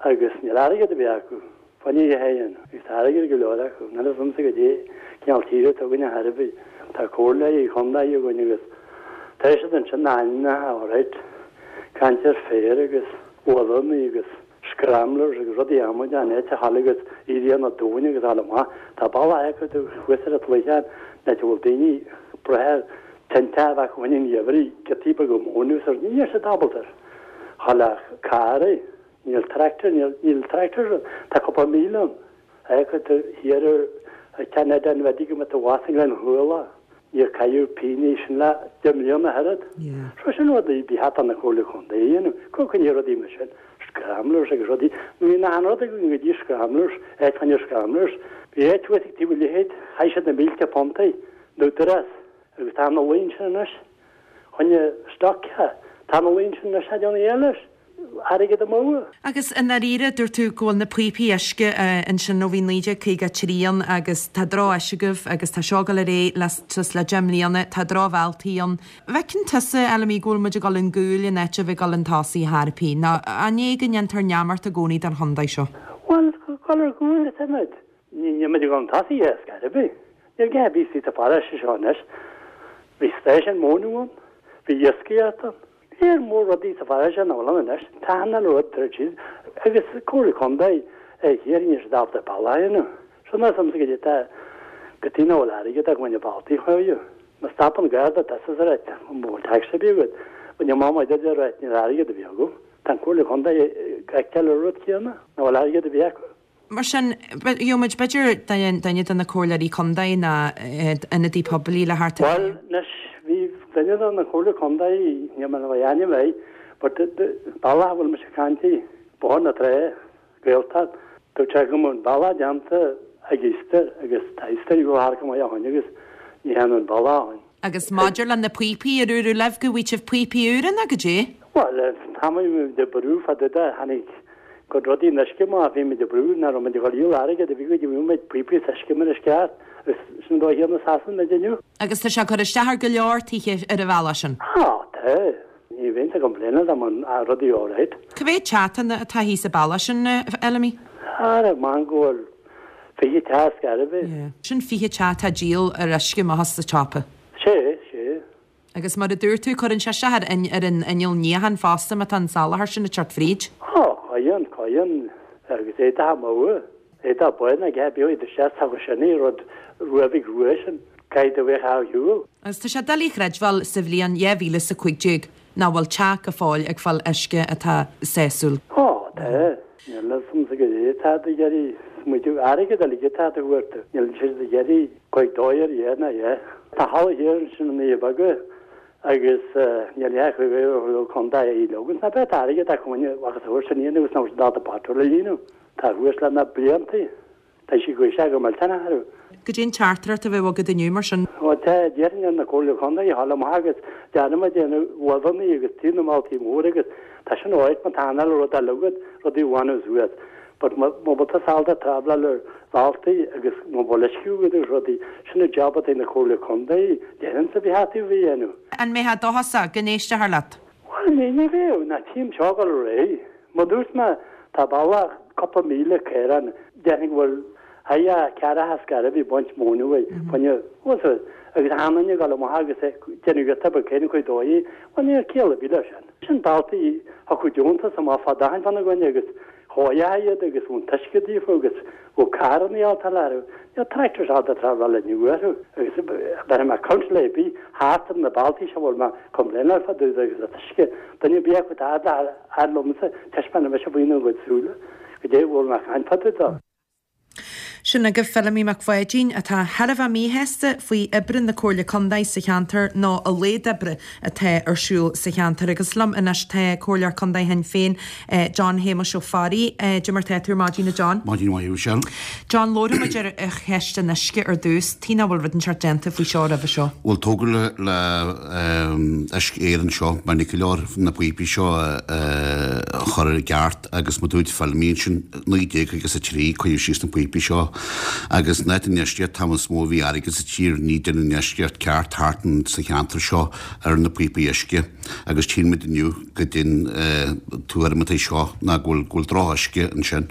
Agus níl airgead ar bith acu. Fá choinne a dhath a dhéanamh. Agus tá airgead go leor acu. Níl fhios a'msa goidé cineál tíre atá againn ar chor ar bith. Tá comhairleoirí chontae againn agus tá siad ansin na hainmneacha alright. Caint ar féar agus uailleanna agus scramblers agus rudaí amaideacha an áit a ghabháil agus éirí na dtóin agus fháil amach. Tá bealach acu thuas ar an tsloitheán an áit a bhfuil daoine breithe ar tinte a bheith acu fá choinne an gheimhridh, giotaí beaga móna agus níl siad ábalta ar. Chaill ach carr é. Níl tractor, níl, níl tractor, tá cúpla míle ann. Fheicfidh tú thiar ar ceann eile an bhfeadfaidh go mbeadh tú abhus i nGleann Chuala. Níor caitheadh pingin sin le deich mbliana oiread. So sin rudaí ba cheart do na Comhairle Contae a dhéanamh. Go coinne rudaí mar sin, scramblers agus rudaí. Ní nach an rud againn go dtí scramblers, áit fá choinne scramblers. Bhí áit thuas ag taobh an leithéid, chaith siad na mílte puntaí, an Údarás, agus tá na luí ansin anois. Choinne stoc, tá na luí ansin anois, déanamh eile leis, airgead amú. Agus i ndáiríre, dúirt tú go bhfuil na píopaí uisce ansin ó bhí 1953 ann agus tá droch-áis agaibh agus tá seo ag dul ar aghaidh le suas le 10 mbliana, tá drochbhealtaí ann. An bhfeiceann tusa, Fheilimí, go bhfuil muid ag dul chun gcúil in áit a bheith ag dul chun tosaigh ar bith, nó an é go ndéantar neamart i gcónaí den chontae seo? Bhuel, dul ar gcúl atá muid. Níl muid ag dul chun tosaigh ar scor ar bith. Níl gá ar bith sa pharóiste seo anois. Bhí stáisiún móna ann, bhí iascaireacht ann. Léar mór rudaí sa pharóiste nach bhfuil ann anois. Tá an uile rud druidte síos agus Comhairle Contae thiar níl siad ábalta bealach a dhéanamh. Seo níl a fhios a'msa goidé tá go dtí nach bhfuil airgead ag baint bealtaí chuige. Má stopann Garda tusa is a rá an bhfuil tax ar bith agat, bhain an mamá duit a rá níl airgead ar bith agam. Tá an Comhairle Contae ag feiceáil an rud céanna, nach bhfuil airgead ar bith acu. Mar sin, gheobhaidh muid b'fhéidir duine de na comhairleoirí contae ná ionadaí poiblí le theacht ar Bhuel, anois, bhí duine de na comhairleoirí contae, níl mé in ann a ainm air, but bealach a bhfuil mise ag caint air, Bóthar na Trá, Gaeltacht, dúirt sé go mbeadh an bealach déanta ag Easter agus tá Easter ag dul thart go maith ó shoin agus ní dhéanadh an bealach ó shoin. Agus maidir le na píopaí, ar dúradh libh go bhfaighidh sibh píopaí úra nó goidé? Bhuel, tá muid ag brú fá dtaobh de, tháinig cuid rudaí an uisce amach, bhí muid ag brú nach raibh muid ag dul a dhíol airgead a bhí go dtí bhí muid píopaí is uisce mar is ceart agus sin an dóigh chéanna i Sasana muid inniu. Agus tá sé ag cur isteach ar go leor tithe ar an bhealach sin. Á, tá. Ní bheinnse ag complaineáil dá mbeadh rudaí alright. Cá mhéad teach atá thíos an bealach sin, a Fheilimí? Ara, man go bhfuil 20 teach ar scor ar bith. Sin 20 teach atá ag díol ar uisce amach as an tsiopa. Sé, sé. Agus mar a dúirt tú, cuireann sé isteach ar ar an inneall níocháin fosta má tá an soláthar sin ag teacht fríd. Á, cuireann, cuireann. Agus éadach amuigh. Éadach bán aige, bíodh iad isteach sa sin é rud ruabhaigh rua sin, caithfidh do bheith á shiúl. Agus tá sé doiligh a chreidbheáil sa bhliain 2015 nach bhfuil teach go fóill ag fáil uisce atá sásúil. Á, tá. Níl a fhios a'msa goidé atá ag iarraidh smaoitiú airgead uilig atá ag tabhairt. Níl siad ag iarraidh cuid dóigh ar dheich ná dheich. Tá halla thiar ansin in Naomh Beaga agus níl a fhios ag an contae a leogaint ná beidh airgead acu a bhfacthas a thabhairt san fhírinne agus nach bhfuil siad ábalta petrol a líonadh. Tá thuas le na blianta. Tá sí gaoise go millteanach orthu. Goidé an teachtaireacht a bheadh agat inniu mar sin? Bhuel tá, déarfainn ar na Comhairle Contae a ghabháil amach agus déanfaidh muid déanamh luibheanna agus taobh na mbealtaí móra agus tá sin áit má tá anáil rud eile agat, rudaí a bhaineadh suas. But má bhfuil tusa ábalta traibhleáil ar bhealtaí agus má bhfuil uisce agat agus rudaí, sin an job atá ag na Comhairle Contae, déarfainnse a bheith a'd a dhéanamh. An mbeifeá dóchasach go n-éistfear leat? Bhuel, ní, ní bheadh, ná tchím seo ag dul ar aghaidh. Mar dúirt mé, tá bealach cúpla míle caorán, déarfainn go bhfuil haigh ceathracha scairbh ag baint móin uaidh, fuinneamh, bhfuil fhios agat, agus achan duine ag dul amach agus ag déanamh giota beag céanna cuid dóigh, bhuel níl ciall ar bith leis sin. Sin bealtaí thiocfadh deontas amach fá d'achan bhean againne agus chóireofaí iad agus bheadh an t-uisce daofa agus bheadh carranna ábalta a lárú. Níl tractors ábalta traibhleáil inniu orthu agus bheirfidh mé council ar bith thart ar na bealtaí seo a bhfuil mé complaineáil fá dtaobh de agus an t-uisce duine ar bith acu atá fhad fhad liomsa taispeánfaidh mise faoina gcuid súile goidé a bhfuil mé ag caint fá dtaobh de. Sin agaibh Feilimí Mac Pháidín, atá thar a bheith míshásta faoi oibre na Comhairle Contae sa cheantar nó a laghad oibre atá ar siúl sa cheantar. Agus liom anois tá Comhairleoir Contae Shinn Féin, John Shéamuis Ó Fearraigh. Cad é mar tá tú ar maidin, a John? Maidin mhaith, a Mhichelle. John, labharfaidh muid ar cheist an uisce ar dtús. Tuige nach bhfuil rud inteacht déanta faoi seo roimhe seo? Bhuel, tógadh le le Uisce Éireann seo, mar ní leor na píopaí seo a chur i gceart agus mar dúirt Feilimí ansin, 1953, cuireadh síos na píopaí seo agus in áit an infheistíocht, an t-am is mó a bhí airgead sa tír, ní deineadh infheistíocht ceart thart sa cheantar seo ar na píopaí uisce agus tchíonn muid inniu go dtí an tuairim atá seo ná go bhfuil go bhfuil drochuisce ansin.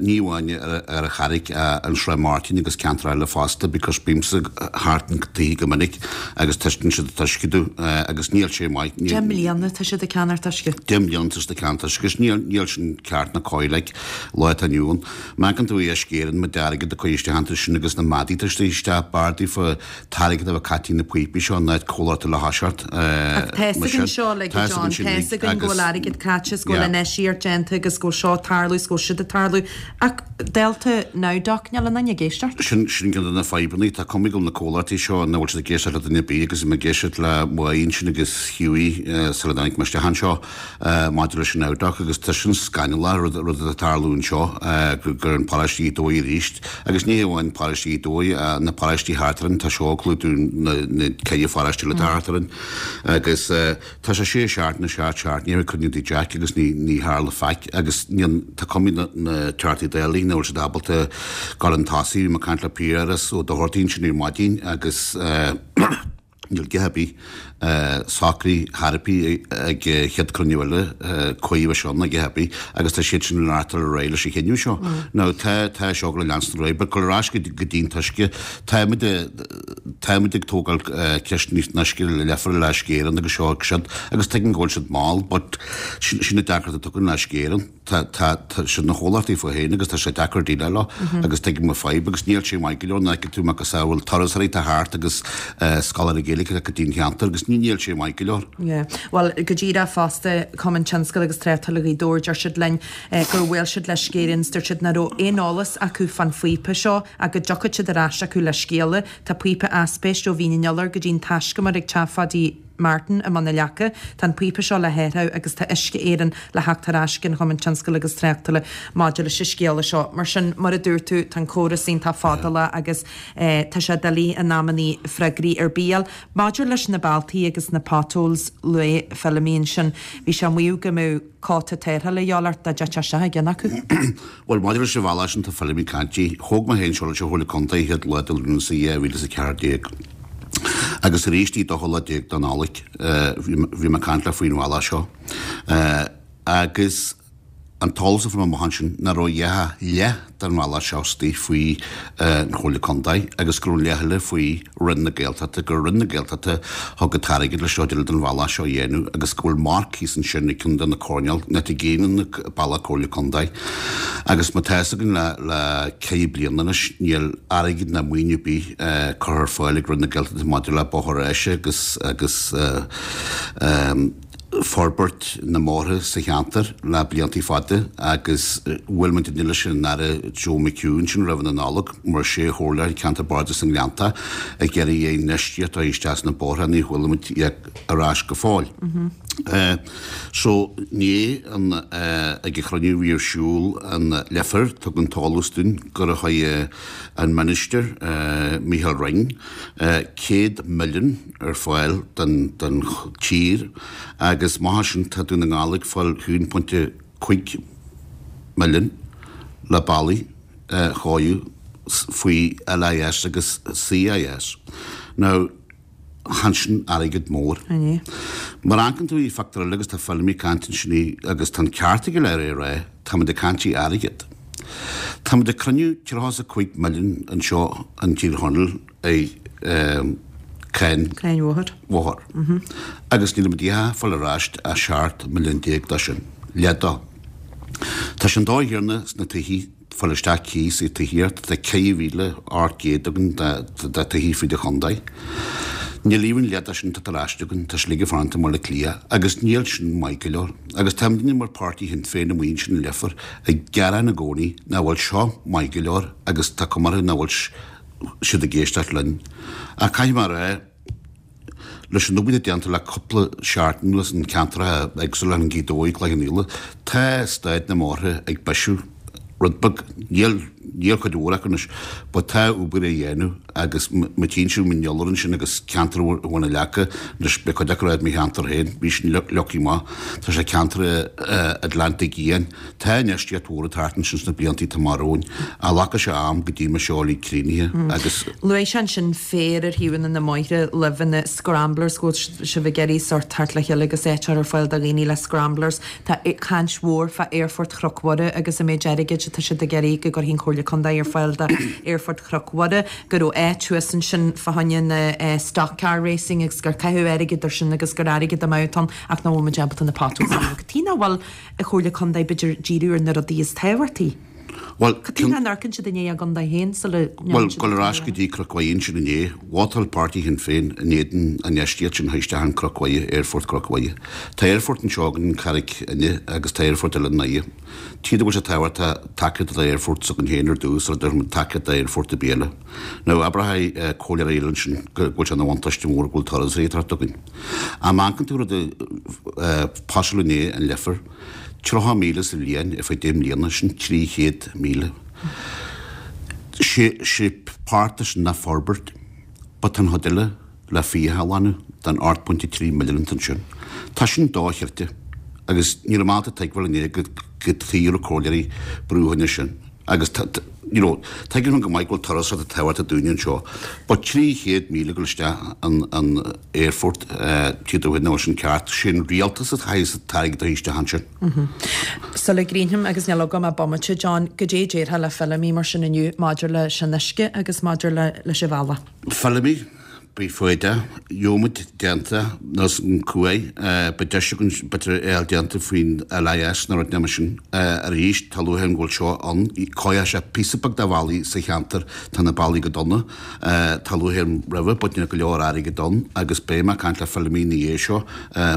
Ní amháin ar an Charraig, an Srath Máirtín agus ceantar eile fosta because bímse thart an taobh go minic agus taispeánann siad an t-uisce domh agus níl sé maith. 10 mbliana tá siad ag ceannacht uisce. 10 mbliana tá siad ag ceannacht uisce agus níl níl sin ceart ná cóir like lá atá inniu ann. Má amharcann tú Uisce Éireann méid airgead a cuireadh isteach iontu sin agus na madaí atá istigh isteach b'fhearr daofa t-airgead a bheith caite na píopaí seo in áit comhlacht eile a thoiseacht Ach tá fhios againn seo like a John, tá fhios againn go bhfuil airgead caite is go bhfuil infheistíocht déanta agus go bhfuil seo ag tarlú is go bhfuil siúd ag tarlú ach dálta Nowdoc níl aon duine ag éisteacht. Sin sin ceann de na fadhbanna. Tá cuma go bhfuil na comhlachtaí seo nach bhfuil siad ag éisteacht le duine ar bith agus bhí mé ag éisteacht le Maí ansin agus Hughie sula dtáinig mé isteach anseo. maidir leis an Nowdoc agus tá sin scannalach rud atá ag tarlú anseo gur an paróiste Ghaoth Dobhair arís agus ní hamháin paróiste Ghaoth Dobhair na paróistí thart orainn tá seo ag clúdú na ceithre pharóiste eile atá thart orainn agus tá sé sé seachtaine seacht seacht ní raibh cruinniú tigh Jack agus ní ní tharla faic agus ní tá cuma na na Teachtaí Dála nach bhfuil siad ábalta dul chun tosaigh bhí mé ag caint le Piaras Ó Dochartaigh ansin ar maidin agus Níl a dhath ar bith socraithe chor ar bith ag an chéad cruinniú eile cuí a bheidh ann a dhath ar bith agus tá siad sin ag leanúint ar aghaidh leis an chinneadh seo. Now tá tá seo ag leanstan ar aghaidh but dul ar ais go dtí an t-uisce táimid táimid ag tógáil ceist an uisce le leifear le Uisce Éireann agus seo agus siúd agus tuigim go bhfuil siad mall but sin sin an deacracht atá againn le Uisce Éireann. Tá, tá, tá siad ina chomhlachtaí fúthu féin agus tá sé deacair déileáil leo agus tuigim an fadhb agus níl sé maith go leor nuair a fheiceann tú macasamhail turasóirí atá thart agus scoláirí Gaeilge. Gaeilge go dtí an cheantar agus ní níl sé maith go leor. Yeah. Bhuel, go díreach fosta, Cumann Tionscail agus Tráchtála Ghaoth Dobhair, deir siad linn gur bhuail siad le Uisce Éireann is dúirt siad nach raibh aon eolas acu fán phíopa seo ach go dtiocfadh siad ar ais acu le scéala. Tá píopa aispeist ó Mhín an Iolair go dtí an taiscumar ag teach Phaidí Martin i mBun na Leaca. Tá an píopa seo le hathrú agus tá Uisce Éireann le theacht ar ais ag an Chumann Tionscail agus Tráchtála maidir leis an scéala seo. Mar sin, mar a dúirt tú, tá an córas iontach fadálach agus tá sé doiligh in amannaí freagraí ar bith a fháil. Maidir leis na bealtaí agus na potholes, luaigh Feilimí ansin, bhí sé ag maíomh go mbeadh cóta tarrthála a dhíobháil ort dá dtitfeadh isteach i gceann acu. Bhuel, maidir leis an bhealach sin, tá Feilimí ag caint di. Thóg mé féin seo leis an Chomhairle Contae an chéad lá de Lúnasa 2014. Agus arís an dóú lá déag de Nollaig, bhí mé ag caint leo faoin bhealach seo. Agus an t-eolas a fuair mé amach ansin ná raibh ach leath den bhealach seo istigh faoi an Chomhairle Contae agus go raibh an leath eile faoi Roinn na Gaeltachta, gur Roinn na Gaeltachta a thug an t-airgead leis seo den bhealach seo a dhéanamh agus go bhfuil marc thíos ansin ag ceann de na coirnéil, not ag aon bealach Comhairle Contae. Agus mar tá fhios againn le le ceithre bliana anois níl airgead ná maoiniú ar bith curtha ar fáil ag Roinn na Gaeltachta maidir le bóthar áise agus agus forbairt na mbóithre sa cheantar le blianta fada agus bhuail muidinne leis an Aire Joe McHugh ansin roimh na Nollag mar sé chomhairleoir Ceantar Bardais na nGleannta ag iarraidh infheistíocht a isteach sna bóithre ní chuala muid ar ais go fóill. So inné an ag an chruinniú a bhí ar siúl an Leifear tugadh an t-eolas dúinn gur chuir an Minister Micheál Ring 100 milliún ar fáil don tír agus amach as sin tá Dún na nGall ag fáil 1.5 milliún le bealaí a chóiriú faoi LIS agus CIS. Now, chan sin airgead mór. Mar amharcann tú i phictiúr eile agus tá Feilimí ag caint ansin agus tá an ceart aige le é a rá, táimid ag caint i airgead. Táimid ag cruinniú 35 milliún anseo in Tír Chonaill i cáin Cáin bhóthair. bhóthair. Agus nílimid ag fáil ar ais ach 17 milliún de sin, leath dó. Tá sé an dóigh chéanna sna tithí, fáil isteach cíos i tithíocht, tá 4,800 againn de tithí fríd an chontae. Níl even leath de sin tagtha ar ais againn, tá sé uilig ag fanacht i mBaile Átha Cliath agus níl sin maith go leor. Agus táimidne mar páirtí Shinn Féin amuigh ansin i Leifear ag gearán i gcónaí nach bhfuil seo maith go leor agus tá cuma orthu nach bhfuil siad ag éisteacht linn. Ach caithfidh mé a rá, leis an obair atá déanta le cúpla seachtain anuas in ceantracha éagsúla in Gaoth Dobhair, Cloich Cheann Fhaola, tá staid na mbóithre ag bisiú rud beag. Níl, níl cuid mhór acu anois, but tá obair á dhéanamh agus má tchíonn sibh Mín an Iolair ansin agus ceantar Bhun na Leaca, anois beidh cuid acu i mo cheantar féin, bhí sin leagtha amach, tá sé ceantar Atlantaigh Fhiáin. Tá infheistíocht mhór ag teacht ansin sna blianta atá amach romhainn, ach glacfaidh sé am go dtí mbeidh seo uilig críochnaithe agus. Luaigh sé ansin féar ar thaobhanna na mbóithre libh na scramblers, go bhfuil sibh ag iarraidh sórt teacht le chéile agus áit a chur ar fáil do dhaoine le scramblers. Tá caint mhór fá Aerfort Chnoc Mhuire agus an méid airgid atá siad ag iarraidh go gcuirfidh an Chomhairle Contae ar fáil do Aerfort Chnoc Mhuire, go raibh áit thuas ansin fá choinne na stock car racing agus gur caitheadh airgead ar sin agus gur airgead amú atá ann ach nach bhfuil muid ábalta na potholes a líonadh. Cad chuige nach bhfuil an Chomhairle Contae, b'fhéidir, díriú ar na rudaí is tábhachtaí. Bhuel, Cad chuige nach n-amharcann siad i ndiaidh a gcontae féin sula Bhuel, ndéanann siad gul ar ais go dtí Cnoc Mhuire ansin inné, vótáil páirtí Shinn Féin in éadan an infheistíocht sin a chur isteach in Cnoc Mhuire, Aerfort Chnoc Mhuire. Tá aerfort anseo againn in Carraig Fhinne agus tá aerfort eile i nDoire. Tuige go bhfuil sé tábhachtach tacaíocht d'aerfort s'againn féin ar dtús sula dtabharfaimid tacaíocht d'aerfort ar bith eile. Now, abraithfidh comhairleoirí eile ansin go bhfuil sé ina bhuntáiste mór go bhfuil turasóirí ag teacht chugainn. Ach má amharcann tú rud a phassáladh inné an Leifear, 30,000 sa bhliain ar feadh 10 mbliana, sin 300,000. Sé, sé páirt de sin ná forbairt, but tá an chuid eile le fiacha a ghlanadh den 8.3 milliún atá ansin. Tá sin dochreidte agus ní raibh mé ábalta tuigbheáil inné go, cad chuige a raibh comhairleoirí ag brú fá choinne sin. Agus tá, you know, tuigim go maith go bhfuil turasóireacht tábhachtach dúinne anseo, but 300,000 ag dul isteach an, an aerfort, tuige dó nach bhfuil sin ceart, sé an rialtas a chaithfeas an t-airgead a chur isteach ansin. Sula gcríochnaím, agus níl agam ach bomaite, John, goidé a déarfá le Feilimí mar sin inniu maidir leis an uisce agus maidir le, leis an bhealach? Feilimí? Beidh foighde, gheobhaimid déanta nó an cumhaidh, beidh deis againn b'fhéidir é a fháil déanta faoin LIS nó rud mar sin arís, tá lúcháir orm go bhfuil seo ann, cóireoidh sé píosa beag de bhealaí sa cheantar, tá na bealaí go dona, tá lúcháir orm roimhe but níl go leor airgid ann agus beidh mé ag caint le Feilimí ina dhiaidh seo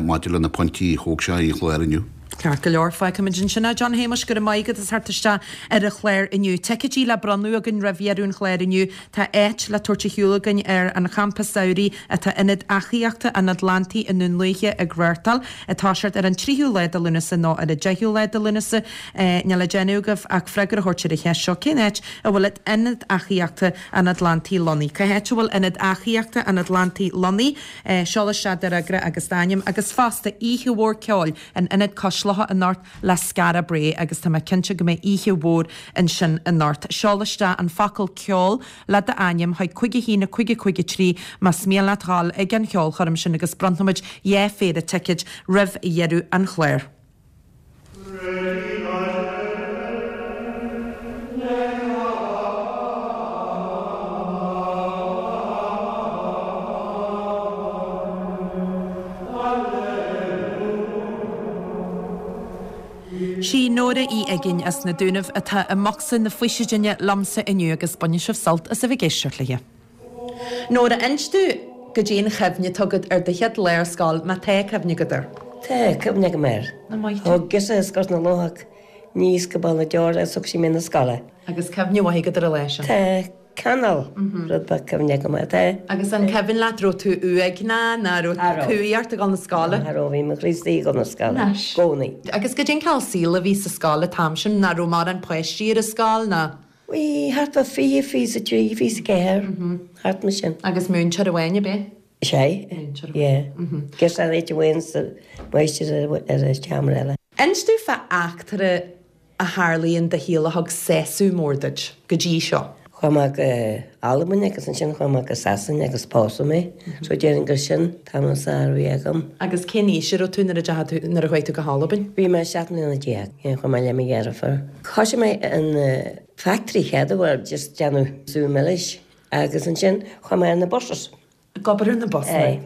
maidir le na pointí a thóg sé ar an chlár inniu. Ceart go leor, fágfaimid ansin é. John Shéamuis, go raibh maith agat as theacht isteach ar an chlár inniu. Ticéidí le bronnadh againn roimh dheireadh an chláir inniu. Tá áit le tabhairt ar shiúl againn ar an champa samhraidh atá Ionad Eachaíochta an Atlantaigh i nDún Lúiche ag reáchtáil, ag toiseacht ar an 3ú lá de Lúnasa nó ar an 10ú lá de Lúnasa. Níl le déanamh agaibh ach freagra a thabhairt ar an cheist seo, cén áit a bhfuil Ionad Eachaíochta an Atlantaigh lonnaithe? Cá háit a bhfuil Ionad Eachaíochta an Atlantaigh lonnaithe? Seol isteach do fhreagra agus d'ainm agus fosta oíche mhór ceoil in Ionad Cois Locha anocht le Skara Brae agus tá mé cinnte go mbeidh oíche mhór ansin anocht. Seol isteach an focal ceol le d'ainm chuig 5 1 5 5 3 más mian leat dhul ag an cheolchoirm sin agus bronnfaimid 2 phéire ticéid roimh dheireadh an chláir. Sí Nóra Uí Uiginn as na Dúnaibh atá i mbocsa na faoisidine liomsa inniu agus bainfidh sibh sult as a bheith ag éisteacht léi. Nóra, inis domh goidé an chuimhne atá agat ar do chéad lá ar scoil, má tá cuimhne agat air. Tá cuimhne agam air. Thug girseach as Gort na Lothach aníos go Béal na Deora agus thug sí mé na scoile. Agus cuimhne mhaith agat ar an lá sin? Tá, cineál rud beag cuimhne agam air, tá. Agus an cuimhin leat raibh tú uaigneach ná raibh cumhaidh ort ag dul na scoile? Cha raibh, bhí mo chroí istigh ag dul na scoile, i gcónaí. Agus goidé an cineál saoil a bhí sa scoil an t-am sin, ná raibh mórán páistí ar an scoil ná? Bhí thart fá 20, 23, 24, thart mar sin. Agus múinteoir amháin, ab é? Sea, yeah. Girseach ar áit amháin is máistir ar an seomra eile. Inis domh fá eachtra a tharlaigh in do shaol a thug sásamh mór duit, go dtí seo. Chuaigh mé go Albain agus ansin chuaigh mé go Sasain agus pósadh mé. So déarfainn gur sin t-am is fearr a bhí agam. Agus cén aois a raibh tú nuair a deachaigh tú, nuair a chuaigh tú go hAlbain? Bhí mé 17 mbliana. Yeah, chuaigh mé le mo dheirfiúr. Thoisigh mé in factory chéad uair just déanamh sú milis agus ansin chuaigh mé ar na buses. Ag obair ar na busanna. Aye.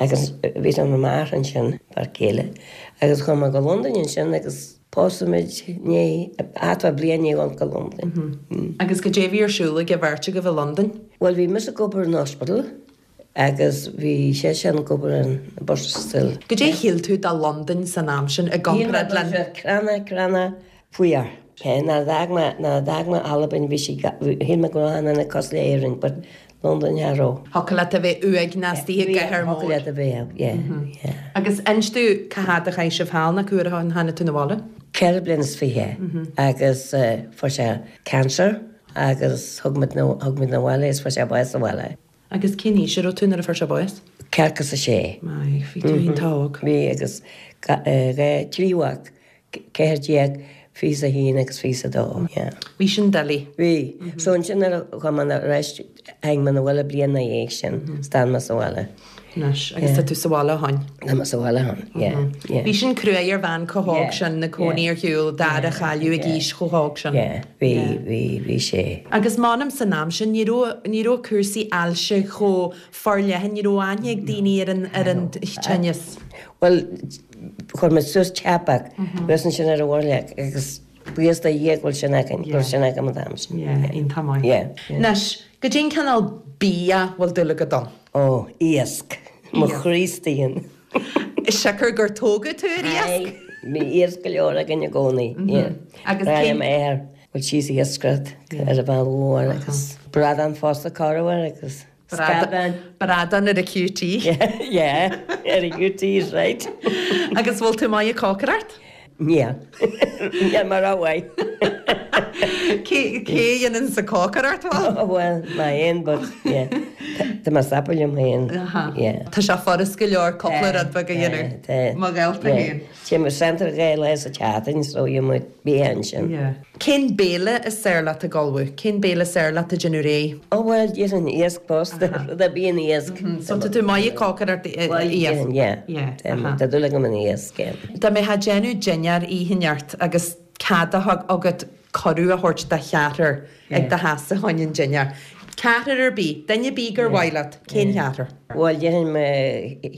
Agus bhí mé amach ansin, fear céile, agus chuaigh mé go Londain ansin agus pósadh muid ní, thart fá bliain i ndiaidh dul go Londain. Agus goidé a bhí ar siúl ag an bheirt agaibh i Londain? Bhuel bhí mise ag obair in hospital Agus bhí seisean ag obair ar na buses still. Goidé a shíl tú de Londain san am sin i gcomparáid le. Shíl mé go raibh sé gránna, gránna fuar. Nuair a d'fhág mé, nuair a d'fhág mé Albain bhí sí, shíl mé go raibh achan duine cosúil le Éirinn but Londain cha raibh. Thiocfadh leat a bheith uaigneach istigh i gcathair mhór. Thiocfadh leat a bheith, yeah, yeah. Agus inis domh cá fhad a chaith sibh thall nó cá huair a tháinig tú 'na bhaile? Ceithre bliana is fiche agus fuair sé cancer agus thug muid, thug muid 'na bhaile é is fuair sé bás sa bhaile. Agus cén aois a raibh tú nuair a fuair sé bás? Ceathracha is a sé. Maith, bhí tú iontach óg. Bhí agus dhá, trí mhac, 14, 21 agus 22, yeah. Bhí sin doiligh. Bhí. So ansin nuair a chuaigh mé ar ais, tháinig mé 'na bhaile bliain 'na dhiaidh sin, d'fhan mé sa bhaile. Anois, agus tá tú sa bhaile ó shoin? Tá mé sa bhaile ó shoin, yeah, yeah. Bhí sin cruaidh ar bhean chomh hóg sin, 'na cónaí ar shiúl, d'fhear a chailleadh ag aois chomh hóg sin. Yeah, bhí, bhí, bhí sé. Agus m'anam san am sin, ní raibh, ní raibh cúrsaí ailse chomh forleathan, ní raibh aithne ag daoine ar an, ar an tinneas. Bhuel, chuir muid suas teapach, thuas ansin ar an mhurlach agus buíochas do Dhia go bhfuil sin againn, go raibh sin agam an t-am sin. Yeah, iontach maith. Yeah. Anois, goidé an cineál bia a bhfuil dúil agat ann? Ó, iasc. Mo chroí istigh ann. Siocair gur tógadh tú ar iasc? Aye, bhí iasc go leor againn i gcónaí, yeah. Agus Ba cén. le m'athair, bhuel síos iascaireacht ar an bhealach mhór agus bradán fosta corruair agus scadán. Bradán ar an QT. Yeah, ar an QT is right. Agus bhfuil tú maith ag cócaireacht? Níl. Níl mé rómhaith. Cé cé a dhéanann sa cócaireacht bhuel? Oh bhuel, mé fhéin but yeah. Tá mé sapa liom fhéin. Yeah. Tá sé furast go leor cúpla rud beag a dhéanamh. Tá, tá. Mo ghaolta Yeah. fhéin. Téim centre 2 lá sa tseachtain so gheobhaidh muid bia ansin. Yeah. Cén béile is fearr leat ag ullmhú? Cén béile is fearr leat ag déanamh réidh? Oh bhuel, déarfainn iasc fosta, rud ar bith in iasc. So tá tú maith ag cócaireacht iasc? Bhuel, déarfainn, yeah. Yeah, aha. Tá dúil agam in iasc, yeah. Dá mbeifeá ag déanamh dinnéar oíche anocht agus cead a bheith agat cuireadh a thabhairt do cheathrar ag do sheasamh fá choinne an dinnéar. Ceathrar ar bith, duine ar bith gur mhaith leat, cén cheathrar? Bhuel, déarfainn mo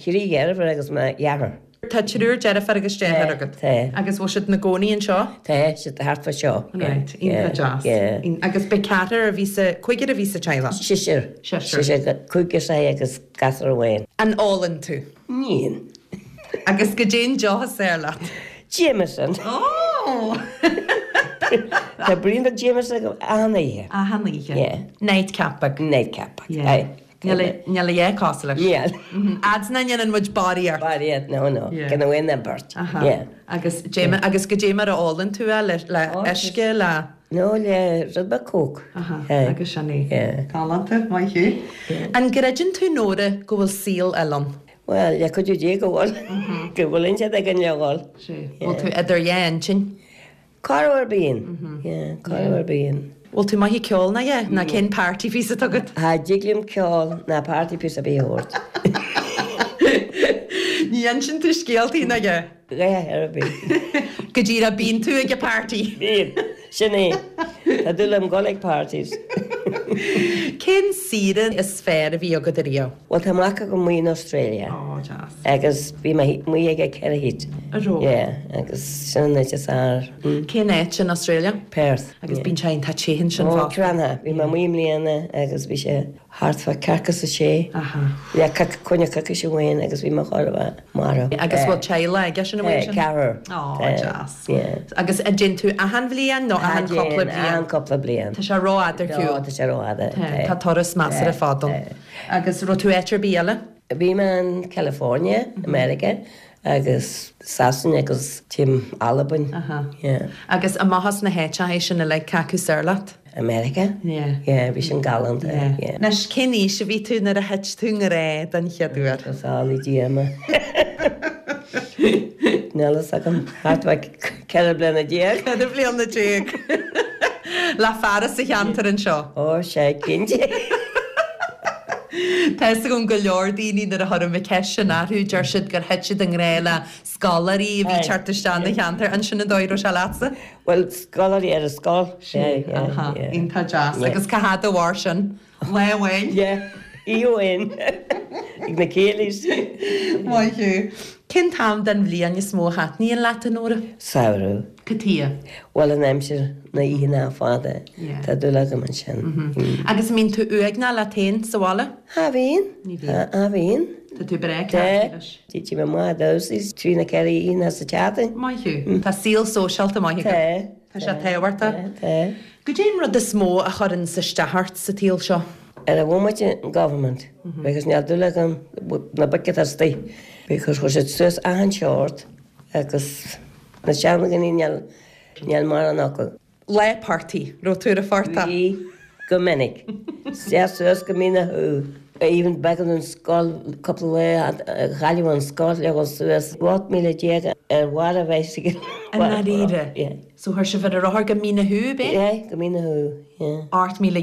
thrí dheirfiúr agus mo dheartháir. Tá triúr deirfiúr agus deartháir agat? Tá. Agus bhfuil siad ina gcónaí anseo? Tá siad thart fá seo. Right, iontach deas. Yeah. Agus b'é ceathrar a bhí sa, cúigear a bhí sa teaghlach? Seisear. Seisear. Seisear, cúigear sea agus gasúr amháin. An ólann tú? Níl. Agus goidé an deoch is fearr leat? Jameson. Oh! Tá braon beag Jameson agam achan oíche. Achan oíche? Yeah. Nightcap beag? Nightcap beag, Yeah. aye. Níl a, níl a dhath cosúil leis. Níl. Fhad 's nach ndéanann muid barraíocht. Barraíocht, no, no. Yeah. Ceann amháin nó beirt. Aha. Yeah. Agus Jame, agus goidé mar a ólann tú é, le, le Oh, uisce, le. No, le rud beag Coke. Aha, Aye. agus sin é. Yeah. Galánta, maith thú. An gcreideann tú, Nóra, go bhfuil saol eile ann? Bhuel, le cuidiú Dé go bhfuil. Go bhfuil intinn againn le dhul. Sea. Bhfuil tú idir dhá intinn? Corruair ar bíonn. Yeah, corruair bíonn. Bhfuil tú maith ag ceol ná yeah? Ná cén party piece atá agat? Cha dtig liom ceol ná party piece ar bith a thabhairt. Ní inseann tú scéaltaí ná yeah? A dhath ar bith. Go díreach bíonn tú ag an party. Bíonn. Sin é. Tá dúil agam dul ag parties. Cén saoire is fearr a bhí agat ariamh? Bhuel tá mac agam amuigh in Australia. Ó, deas. Agus bhí mé amuigh aige 4 thit. A raibh? Yeah, agus sin an áit is fearr. Cén áit in Australia? Perth. Agus bíonn sé iontach te ansin Ó, fosta. Cranncha. Bhí mé amuigh i mbliana agus bhí sé thart fá ceathracha is a sé. Aha. Le coinne coicíse amháin agus bhí mé chóir a bheith marbh. Agus bhfuil teaghlach aige sin amuigh ansin? Tá, ceathrar. Ó, deas. Yeah. Agus an dtéann tú achan bhliain nó achan cúpla bliain? Achan cúpla bliain. Tá sé rófhada ar shiúl. Tá sé rófhada. Tá, tá turas measartha fada ann. Agus raibh tú áit ar bith eile? Bhí mé in California, America, agus Sasana agus tím Albain. Aha. Yeah. Agus amach as na háiteacha sin uilig, cé acu is fearr leat? America? Yeah. Yeah, bhí sin galánta. Yeah. Yeah. Anois, cén aois a bhí tú nuair a thit tú i ngrá den chéad uair? Go sálaí Dia mé. Níl fhios agam. Thart fá 14 bliana. 14 bliana. Le fear as an cheantar anseo? Ó, sea, cinnte. Tá fhios agam go leor daoine nuair a chuirim an cheist sin orthu, deir siad gur thit siad i ngrá le scoláirí a bhí ag teacht isteach ina cheantar. An sin an dóigh a raibh sé leatsa? Bhuel, scoláirí ar an scoil. Sea, aha, iontach deas. Agus cá fhad a mhair sin? Lá amháin? Yeah, oíche amháin. Ag na céilís. Maith thú. Cén t-am den bhliain is mó a thaitníonn leat, a Nóra? Samhradh. Cad chuige? Bhuel, an aimsir, na oícheanta fada, tá dúil agam ansin. Agus an mbíonn tú uaigneach leat féin sa bhaile? Cha bhíonn. Ní bhíonn. Cha bhíonn. Tá tú breá ceart leis. Téim amach ag damhsa trí nó 4 oíche sa tseachtain. Maith thú. Tá saol sóisialta maith agat. Tá. Tá sé tábhachtach. Tá. Goidé an rud is mó a chuireann isteach ort sa tsaol seo? Ar an bhomaite an government because níl dúil agam na boic atá istigh because chuir siad suas achan seort agus na seandaoine níl níl mórán acu. Lá portaigh, raibh tú ar an phortach? Bhí, go minic. Isteach suas go Mín na Thú. Even b'éigean don scoil cúpla lá cailleadh an scoil le dhul suas 18 míle ar bharr an bhicycle. I ndáiríre? Yeah. So chuir sibh ar an rothar go Mín na Thú, ab é? Yeah, go Mín na Thú. Yeah. 18 míle.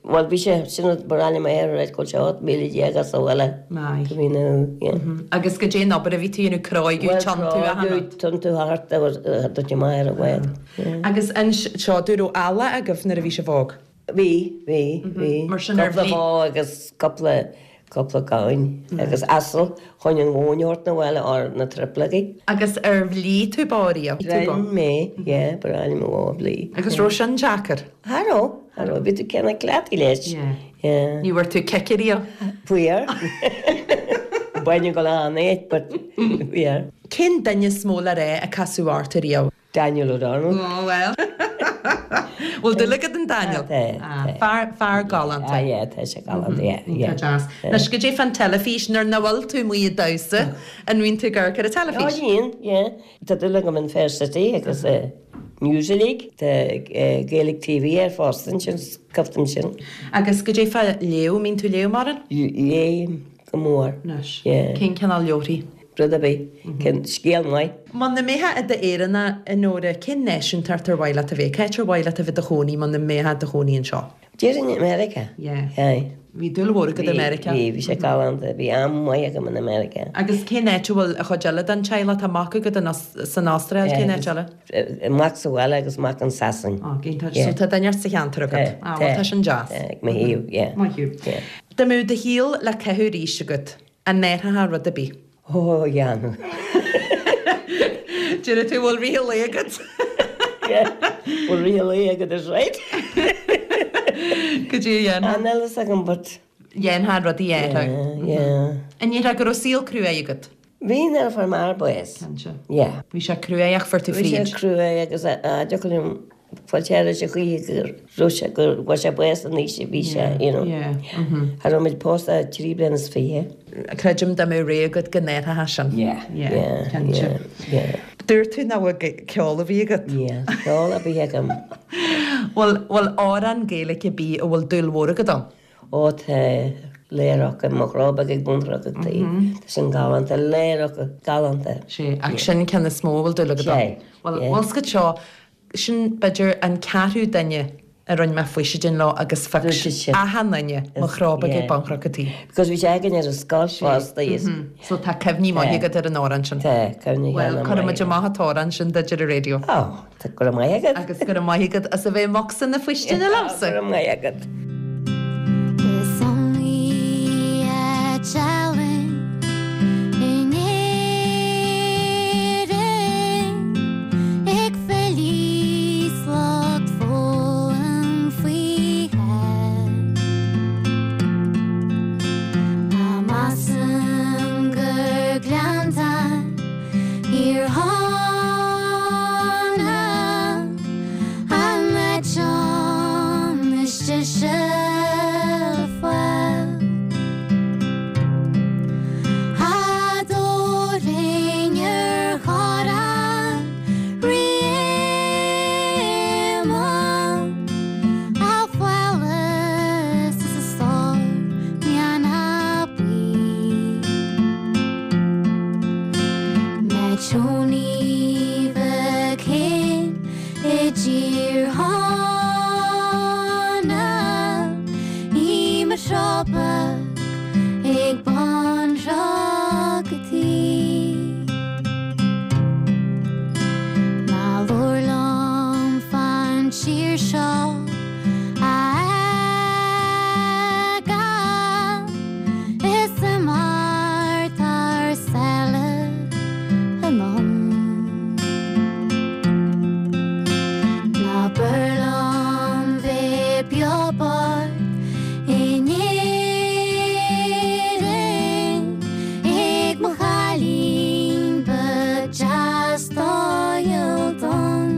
Bhuel, bhí sé, sin rud ba rainim air, right, go bhfuil sé 18 míle as an bhaile. Aye. Go Mín na Thú, yeah. Agus goidé an obair a bhí tú a dhéanamh, cráigeadh, tiontú, achan Bhuel, rud? cráigeadh, tiontú thart agus dúirt mé ar an bhfad. Yeah. Agus anseo, an raibh eallach agaibh nuair a bhí sibh óg? Bhí, bhí, bhí. Mar sin ar Cúpla bhí. bó agus cúpla, cúpla gamhain agus asal chun an mhóin a thabhairt 'na bhaile or na triplagaí. Agus ar bhlí tú bó riamh? Bhí mé, yeah, ba bhreá liom an bhó a bhlí. Agus raibh sin deacair? Cha raibh, cha raibh, bhí tú cineál cleachtaithe leis. Yeah. Yeah. Ní bhfuair tú cic ariamh? Fuair. Baineadh go lán é, but fuair. Cén duine is mó le rá a casadh ort ariamh? Daniel O'Donnell. Ó bhuel. Bhfuil dúil agat in Daniel? Tá, tá. Fear, fear galánta. Ah yeah, tá sé galánta, yeah, yeah. Tá deas. Anois, goidé fán teilifís, nuair nach bhfuil tú amuigh ag damhsa, an mbíonn tú ag amharc ar an teilifís? Ó bhíonn, yeah. Tá dúil agam in Fair City agus News uilig. Tá Gaelic TV air fosta ansin, coimhtim sin. Agus goidé fá léamh, mbíonn tú ag léamh mórán? Léim go mór. Anois, Yeah. cén cineál leabharthaí? Rud ar bith. Cén scéal maith. Muna mbeifeá i d'Éireannach, a Nóra, cén náisiúntacht ar mhaith leat a bheith? Cá háit ar mhaith leat a bheith i do chónaí muna mbeifeá i do chónaí anseo? Déarfainn America. Yeah. Aye. Bhí dúil mhór agat i Meiriceá. Bhí, bhí sé galánta. Bhí am maith agam in America. Agus cén áit a bhfuil an chuid eile den teaghlach? Tá mac agat san Astráil, cén áit eile? Mac sa bhaile agus mac in Sasain. Ó, iontach. So tá duine sa cheantar agat. Tá, Ah, bhuel tá sin deas. Tá, ag mo thaobh, yeah. Maith thú. Yeah. Dá mbeadh do shaol le caitheamh arís agat, an n-athrófá rud ar bith? Ó, dhéanfainn. Déarfaidh tú, bhfuil rith an lae agat? Yeah, bhfuil rith an lae agat is right. Cad é a dhéanfá? Ah, níl fhios agam but. Dhéanfá rudaí a athrú. Yeah, yeah. An ndéarfá go raibh saol cruaidh agat? Bhí nuair a fuair m'athair bás. Cinnte. Yeah. Bhí sé cruaidh ach fuair tú Bhí sé fríd. cruaidh agus a dtiocfadh liom fáilte ar ais a choíche go raibh sé go bhfuair sé bás an aois a bhí sé, you know. Yeah, mhm. Cha raibh muid pósta ach trí bliana is fiche. Creidim dá mbeadh rogha agat go n-athrófá sin. Yeah, Yeah, yeah, cinnte. yeah, yeah. Dúirt tú nach bhfuil ceol ar bith agat. Níl ceol ar bith agam. Bhfuil, bhfuil amhrán Gaeilge ar bith a bhfuil dúil mhór agat ann? Ó tá Léireoca, mo chró beag ag bun Chnoc an Tí. Tá sin galánta, Léireoca, galánta. Sea, ach sin an ceann is mó a bhfuil dúil agat ann. Sea, Bhuel, yeah. bhfuil 's agat seo, sin b'fhéidir an ceathrú duine a rinne mé faoisidin leo agus phioc Dúirt siad sin. achan duine mo chró beag ag Yeah. bun Chnoc an Tí. Because bhí sé againn ar an scoil fosta is. So tá cuimhní maithe agat ar an amhrán sin. Tá, cuimhní Bhuel, ana cuirfidh maith muid amach an t-amhrán sin duit ar an raidió. Ó. Tá go raibh maith agat. Agus go raibh maith agat as a bheith i mbocsa na faoistine liomsa. Go raibh maith agat. Is iomaí áit álainn in Éirinn ag filí 's lucht foghlaim faoi. Ach measaim gur Gleanntáin Thír Chonaill an áit is deise fáil. Adórainn ar chorrán Rí Éamonn, a phálás is a stór meanna buí. Tony Mhic i dTír Chonaill i mo chró beag ag bun Chnoc an Tí. Ná labhair liom fán tír seo a fhágáil. Is imeacht thar sáile anonn. Ná b'fhearr liom bheith beo bocht in Éirinn ag mo chailín beag deas dóighiúil donn.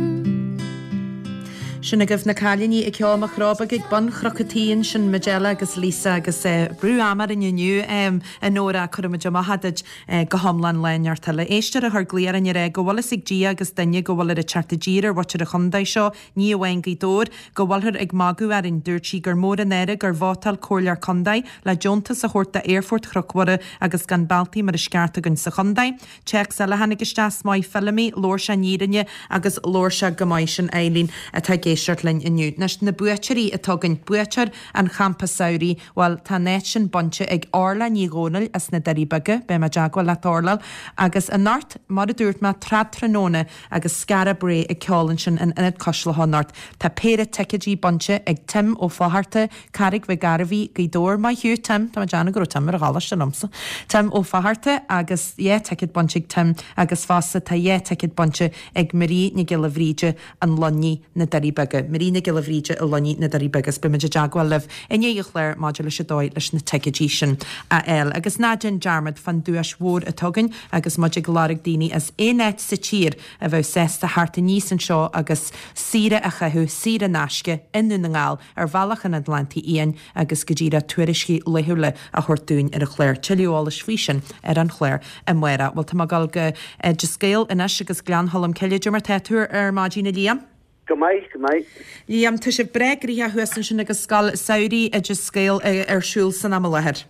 Sin agaibh na cailíní ag ceol Mo Chró Beag ag Bun Chnoc an Tí ansin, Majella agus Lisa agus brú ama orainn inniu a Nóra cuirfidh muid amach duit go hiomlán lá neart eile. Éisteoir a chuir glaoch orainn a rá go bhfuil fhios ag Dia agus duine go bhfuil ar ag teacht i dtír ar mhuintir an chontae seo, ní amháin Gaoth Dobhair, go bhfuilthear ag magadh orainn. Dúirt sí gur mór an náire gur vótáil comhairleoir contae le deontas a thabhairt d'Aerfort Chnoc Mhuire agus gan bealtaí mar is ceart againn sa chontae. Téacs eile a tháinig isteach, Is maith Feilimí, labhair sé an fhírinne agus labhair sé go maith, sin Eileen atá ag éisteacht linn inniu. Anois, na buaiteoirí atá againn, buaiteoir an champa samhraidh, bhuel, tá an áit sin bainte ag Orla Ní Dhomhnaill as na Doirí Beaga, beidh mé i dteagmháil leat Orla, agus anocht, mar a dúirt mé, tráthnóna agus Skara Brae ag ceol ansin in Ionad Cois Locha anocht. Tá péire ticéidí bainte ag Tim Ó Fátharta, Carraig Mhic Gairbhí, Gaoth Dobhair. Maith thú, Tim. Tá mé ag déanamh go raibh Tim ar an choláiste liomsa. Tim Ó Fátharta agus yeah ticéad bainte ag Tim agus fosta tá yeah ticéad bainte ag Marie Nic Giolla Bhríde, An Luinnigh, Na Doirí Beaga. Marie Nic Giolla Bhríde, An Luinnigh, Na Doirí Beaga. Is beidh muid i dteagmháil libh i ndiaidh an chláir maidir leis an dóigh leis na ticéidí sin a fháil. Agus ná déan dearmad fán duais mhór atá againn agus muid ag lorg daoine as aon áit sa tír a bheadh sásta theacht aníos anseo agus saoire a chaitheamh, saor in aisce, i nDún na nGall. ar bhealach an Atlantaigh Fhiáin agus go díreach tuairiscí laethúla a thabhairt dúinn ar an chlár. Tuilleadh eolais faoi sin ar an chlár amárach. Bhuel, tá mé ag dul go Oideas Gael anois agus Gleann Cholm Cille. Cad é mar tá tú ar maidin, a Liam? Go maith, go maith. Liam, tá sibh breá gnoitheach thuas ansin agus Scoil Samhraidh Oideas Gael ar siúl san am i láthair.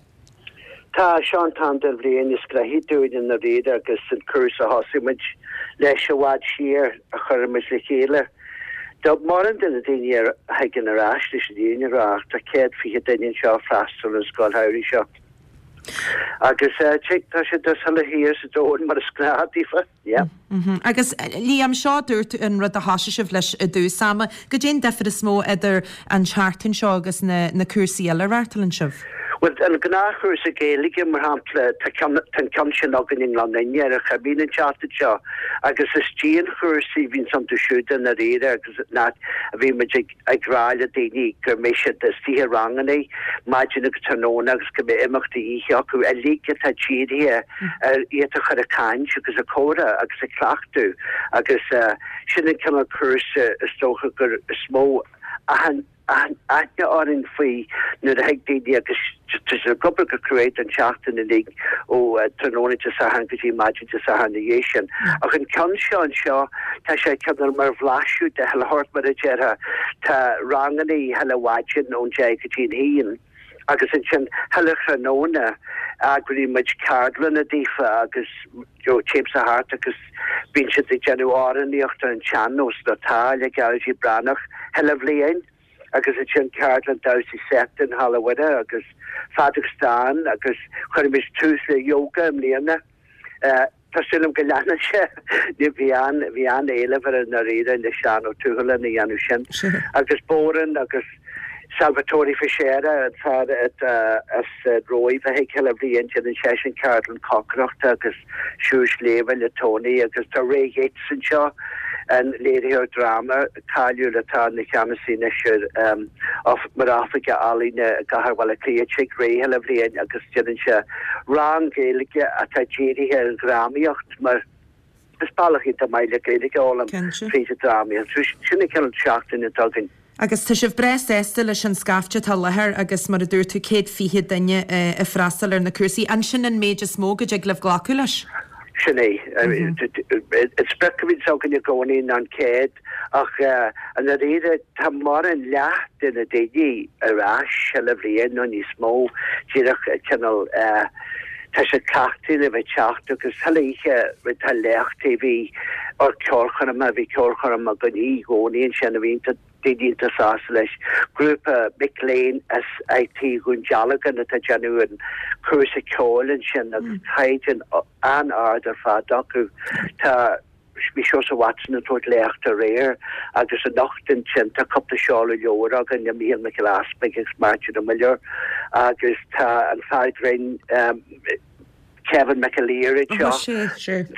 Tá, seo an t-am den bhliain is gnoithí dúinn i ndáiríre agus an cúrsa a thosaigh muid leis i bhfad siar a chuir muid le chéile. Tá mórán de na daoine a thagann ar ais leis an fhírinne a rá ach tá 120 duine anseo ag freastal ar an scoil shamhraidh seo. Agus tá sé ag dul chuile thír sa domhan mar is gnáth daofa. Yeah. Agus Liam, seo dúirt tú an rud a thosaigh sibh leis i dtús ama. Goidé an difear is mó idir an tseachtain seo agus na na cúrsaí eile a reáchtálann sibh? Bhuel, an gnáthchúrsa Gaeilge, mar shampla, tá ceann, tá an ceann sin againn i nGleann Fhinne ar an Choimín an tseachtain seo agus is dianchúrsaí a bhíonns iontu siúd i ndáiríre agus an áit a bhíonn muid ag, ag rá le daoine go mbeidh siad istigh i ranganna maidin agus tráthnóna agus go mbeidh imeachtaí oíche acu uilig atá dírithe ar iad a chur ag caint agus ag comhrá agus ag cleachtadh agus sin an cineál cúrsa is dócha gur is mó aithne orainn faoi nuair a thig daoine agus tá siad ag obair go cruaidh don tseachtain uilig ó tráthnóna Dé Sathairn go dtí maidin Dé Sathairn ina dhiaidh sin. Ach an ceann seo anseo, tá sé cineál mar bhlaiseadh de chuile shórt mar a déarfá. Tá ranganna chuile mhaidin ón deich go dtí an haon. Agus ansin chuile thráthnóna eagraíonn muid ceardlanna daofa agus you know téimse thart agus bíonn siad ag déanamh amhránaíocht ar an tsean-nós nó tá le Gearóidín Breathnach chuile bhliain agus ansin ceardlann damhsa seite in Halla Mhuire agus Feadóg Stáin agus chuir muid tús le yoga i mbliana. Tá súil agam go leanfaidh sé. Bhí an, bhí an-éileamh air i ndáiríre le Seán Ó Tuathaláin a dhéanamh sin. Agus bodhrán agus Salvatore Fichera, an fear as an Róimh a thig chuile bhliain, déanann seisean ceardlann cócaireachta agus siúl sléibhe le Tony agus tá Ray Yeates anseo, an léiritheoir dráma cáiliúil atá ina cheannasaí anois ar, mar Oifigeach Ealaíne i gCathair Bhaile Átha Cliath. Tig Ray chuile bhliain agus déanann sé rang Gaeilge atá dírithe ar an dhrámaíocht mar is bealach iontach maith le Gaeilge a fhoghlaim tríd an drámaíocht. So sin an cineál seachtaine atá againn. Agus tá sibh breá sásta leis an scaifte atá i láthair agus mar a dúirt tú 120 duine ag freastal ar na cúrsaí. An sin an méid is mó go dtig libh glacadh leis? Sin é. An sprioc a bhíonns againn i gcónaí ná an 100. Ach i ndáiríre, tá mórán leath de na daoine ar ais chuile bhliain nó níos mó, díreach cineál, tá siad cleachtaithe le bheith ag teacht agus chuile oíche tá léachtaí, bhí ár ceolchoirm, bhí ceolchoirm againn oíche Dhomhnaigh ansin a bhí iontach, daoine iontach sásta leis. Grúpa mic léinn as IT Dhún Dealgan atá ag déanamh an cúrsa ceoil ansin agus caighdeán an-ard ar fad acu. Tá. Bhí Seosamh Watson ag tabhairt léachta aréir agus anocht ansin tá cúpla seoladh leabhar againn le Mícheál Mac Giolla Easpaig agus Máirtín Ó Muilleoir agus tá an fear grinn Kevin McAleer anseo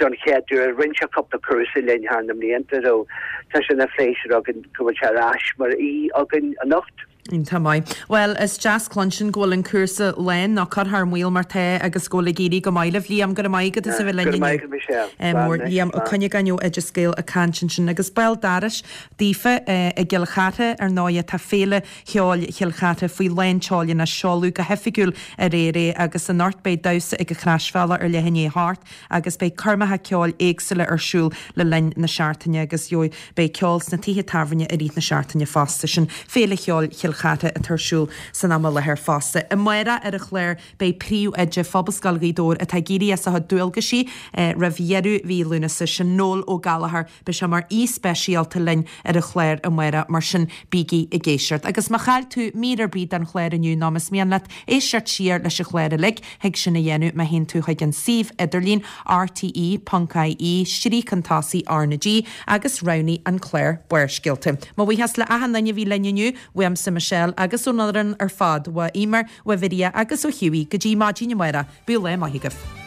don chéad uair. Rinne sé cúpla cúrsa linn thar na mblianta so tá sé ina phléisiúr againn go bhfuil sé ar ais mar aoi againn anocht. Iontach maith. Bhuel, is deas cluinstin go bhfuil an cúrsa lán nó curtha thar maoil mar tá agus go bhfuil ag éirí go maith libh. Liam, go raibh maith agat as a bheith linn inniu. Go raibh maith agat, Michelle. Mór. Liam Ó Cuinneagáin ó Oideas Gael ag caint ansin. Agus béal dorais daofa i gCill Chartha, ar ndóighe, tá Féile Cheoil Chill Chartha faoi lán tseoil anois. Seoladh go hoifigiúil aréir é agus anocht beidh damhsa ag an Chroisbhealach ar leath i ndiaidh a hocht. agus beidh coirmeacha ceoil éagsúla ar siúl le linn na seachtaine agus gheobhaidh beidh ceol sna tithe tábhairne i rith na seachtaine fosta. Sin Féile Cheoil Chill Chartha atá ar siúl san am i láthair fosta. Amárach ar an chlár beidh Príomhoide Phobalscoil Ghaoth Dobhair atá ag éirí as a chuid dualgaisí roimh dheireadh mhí Lúnasa, sin Noel Ó Gallchóir. Beidh sé mar aoi speisialta linn ar an chlár amárach, mar sin bígí ag éisteacht. Agus má chaill tú mír ar bith den chlár inniu nó más mian leat éisteacht siar leis an chlár uilig, thig sin a dhéanamh má théann tú chuig an suíomh idirlín rte.ie, stríoc chun tosaigh RnaG agus roghnaigh an clár Barrscéalta. Mo bhuíochas le achan duine a bhí linn inniu, uaimse Michelle agus ón fhoireann ar fad, uaidh Eimear, uaidh Mharia agus ó Hughie, go dtí maidin amárach, bíodh lá maith agaibh.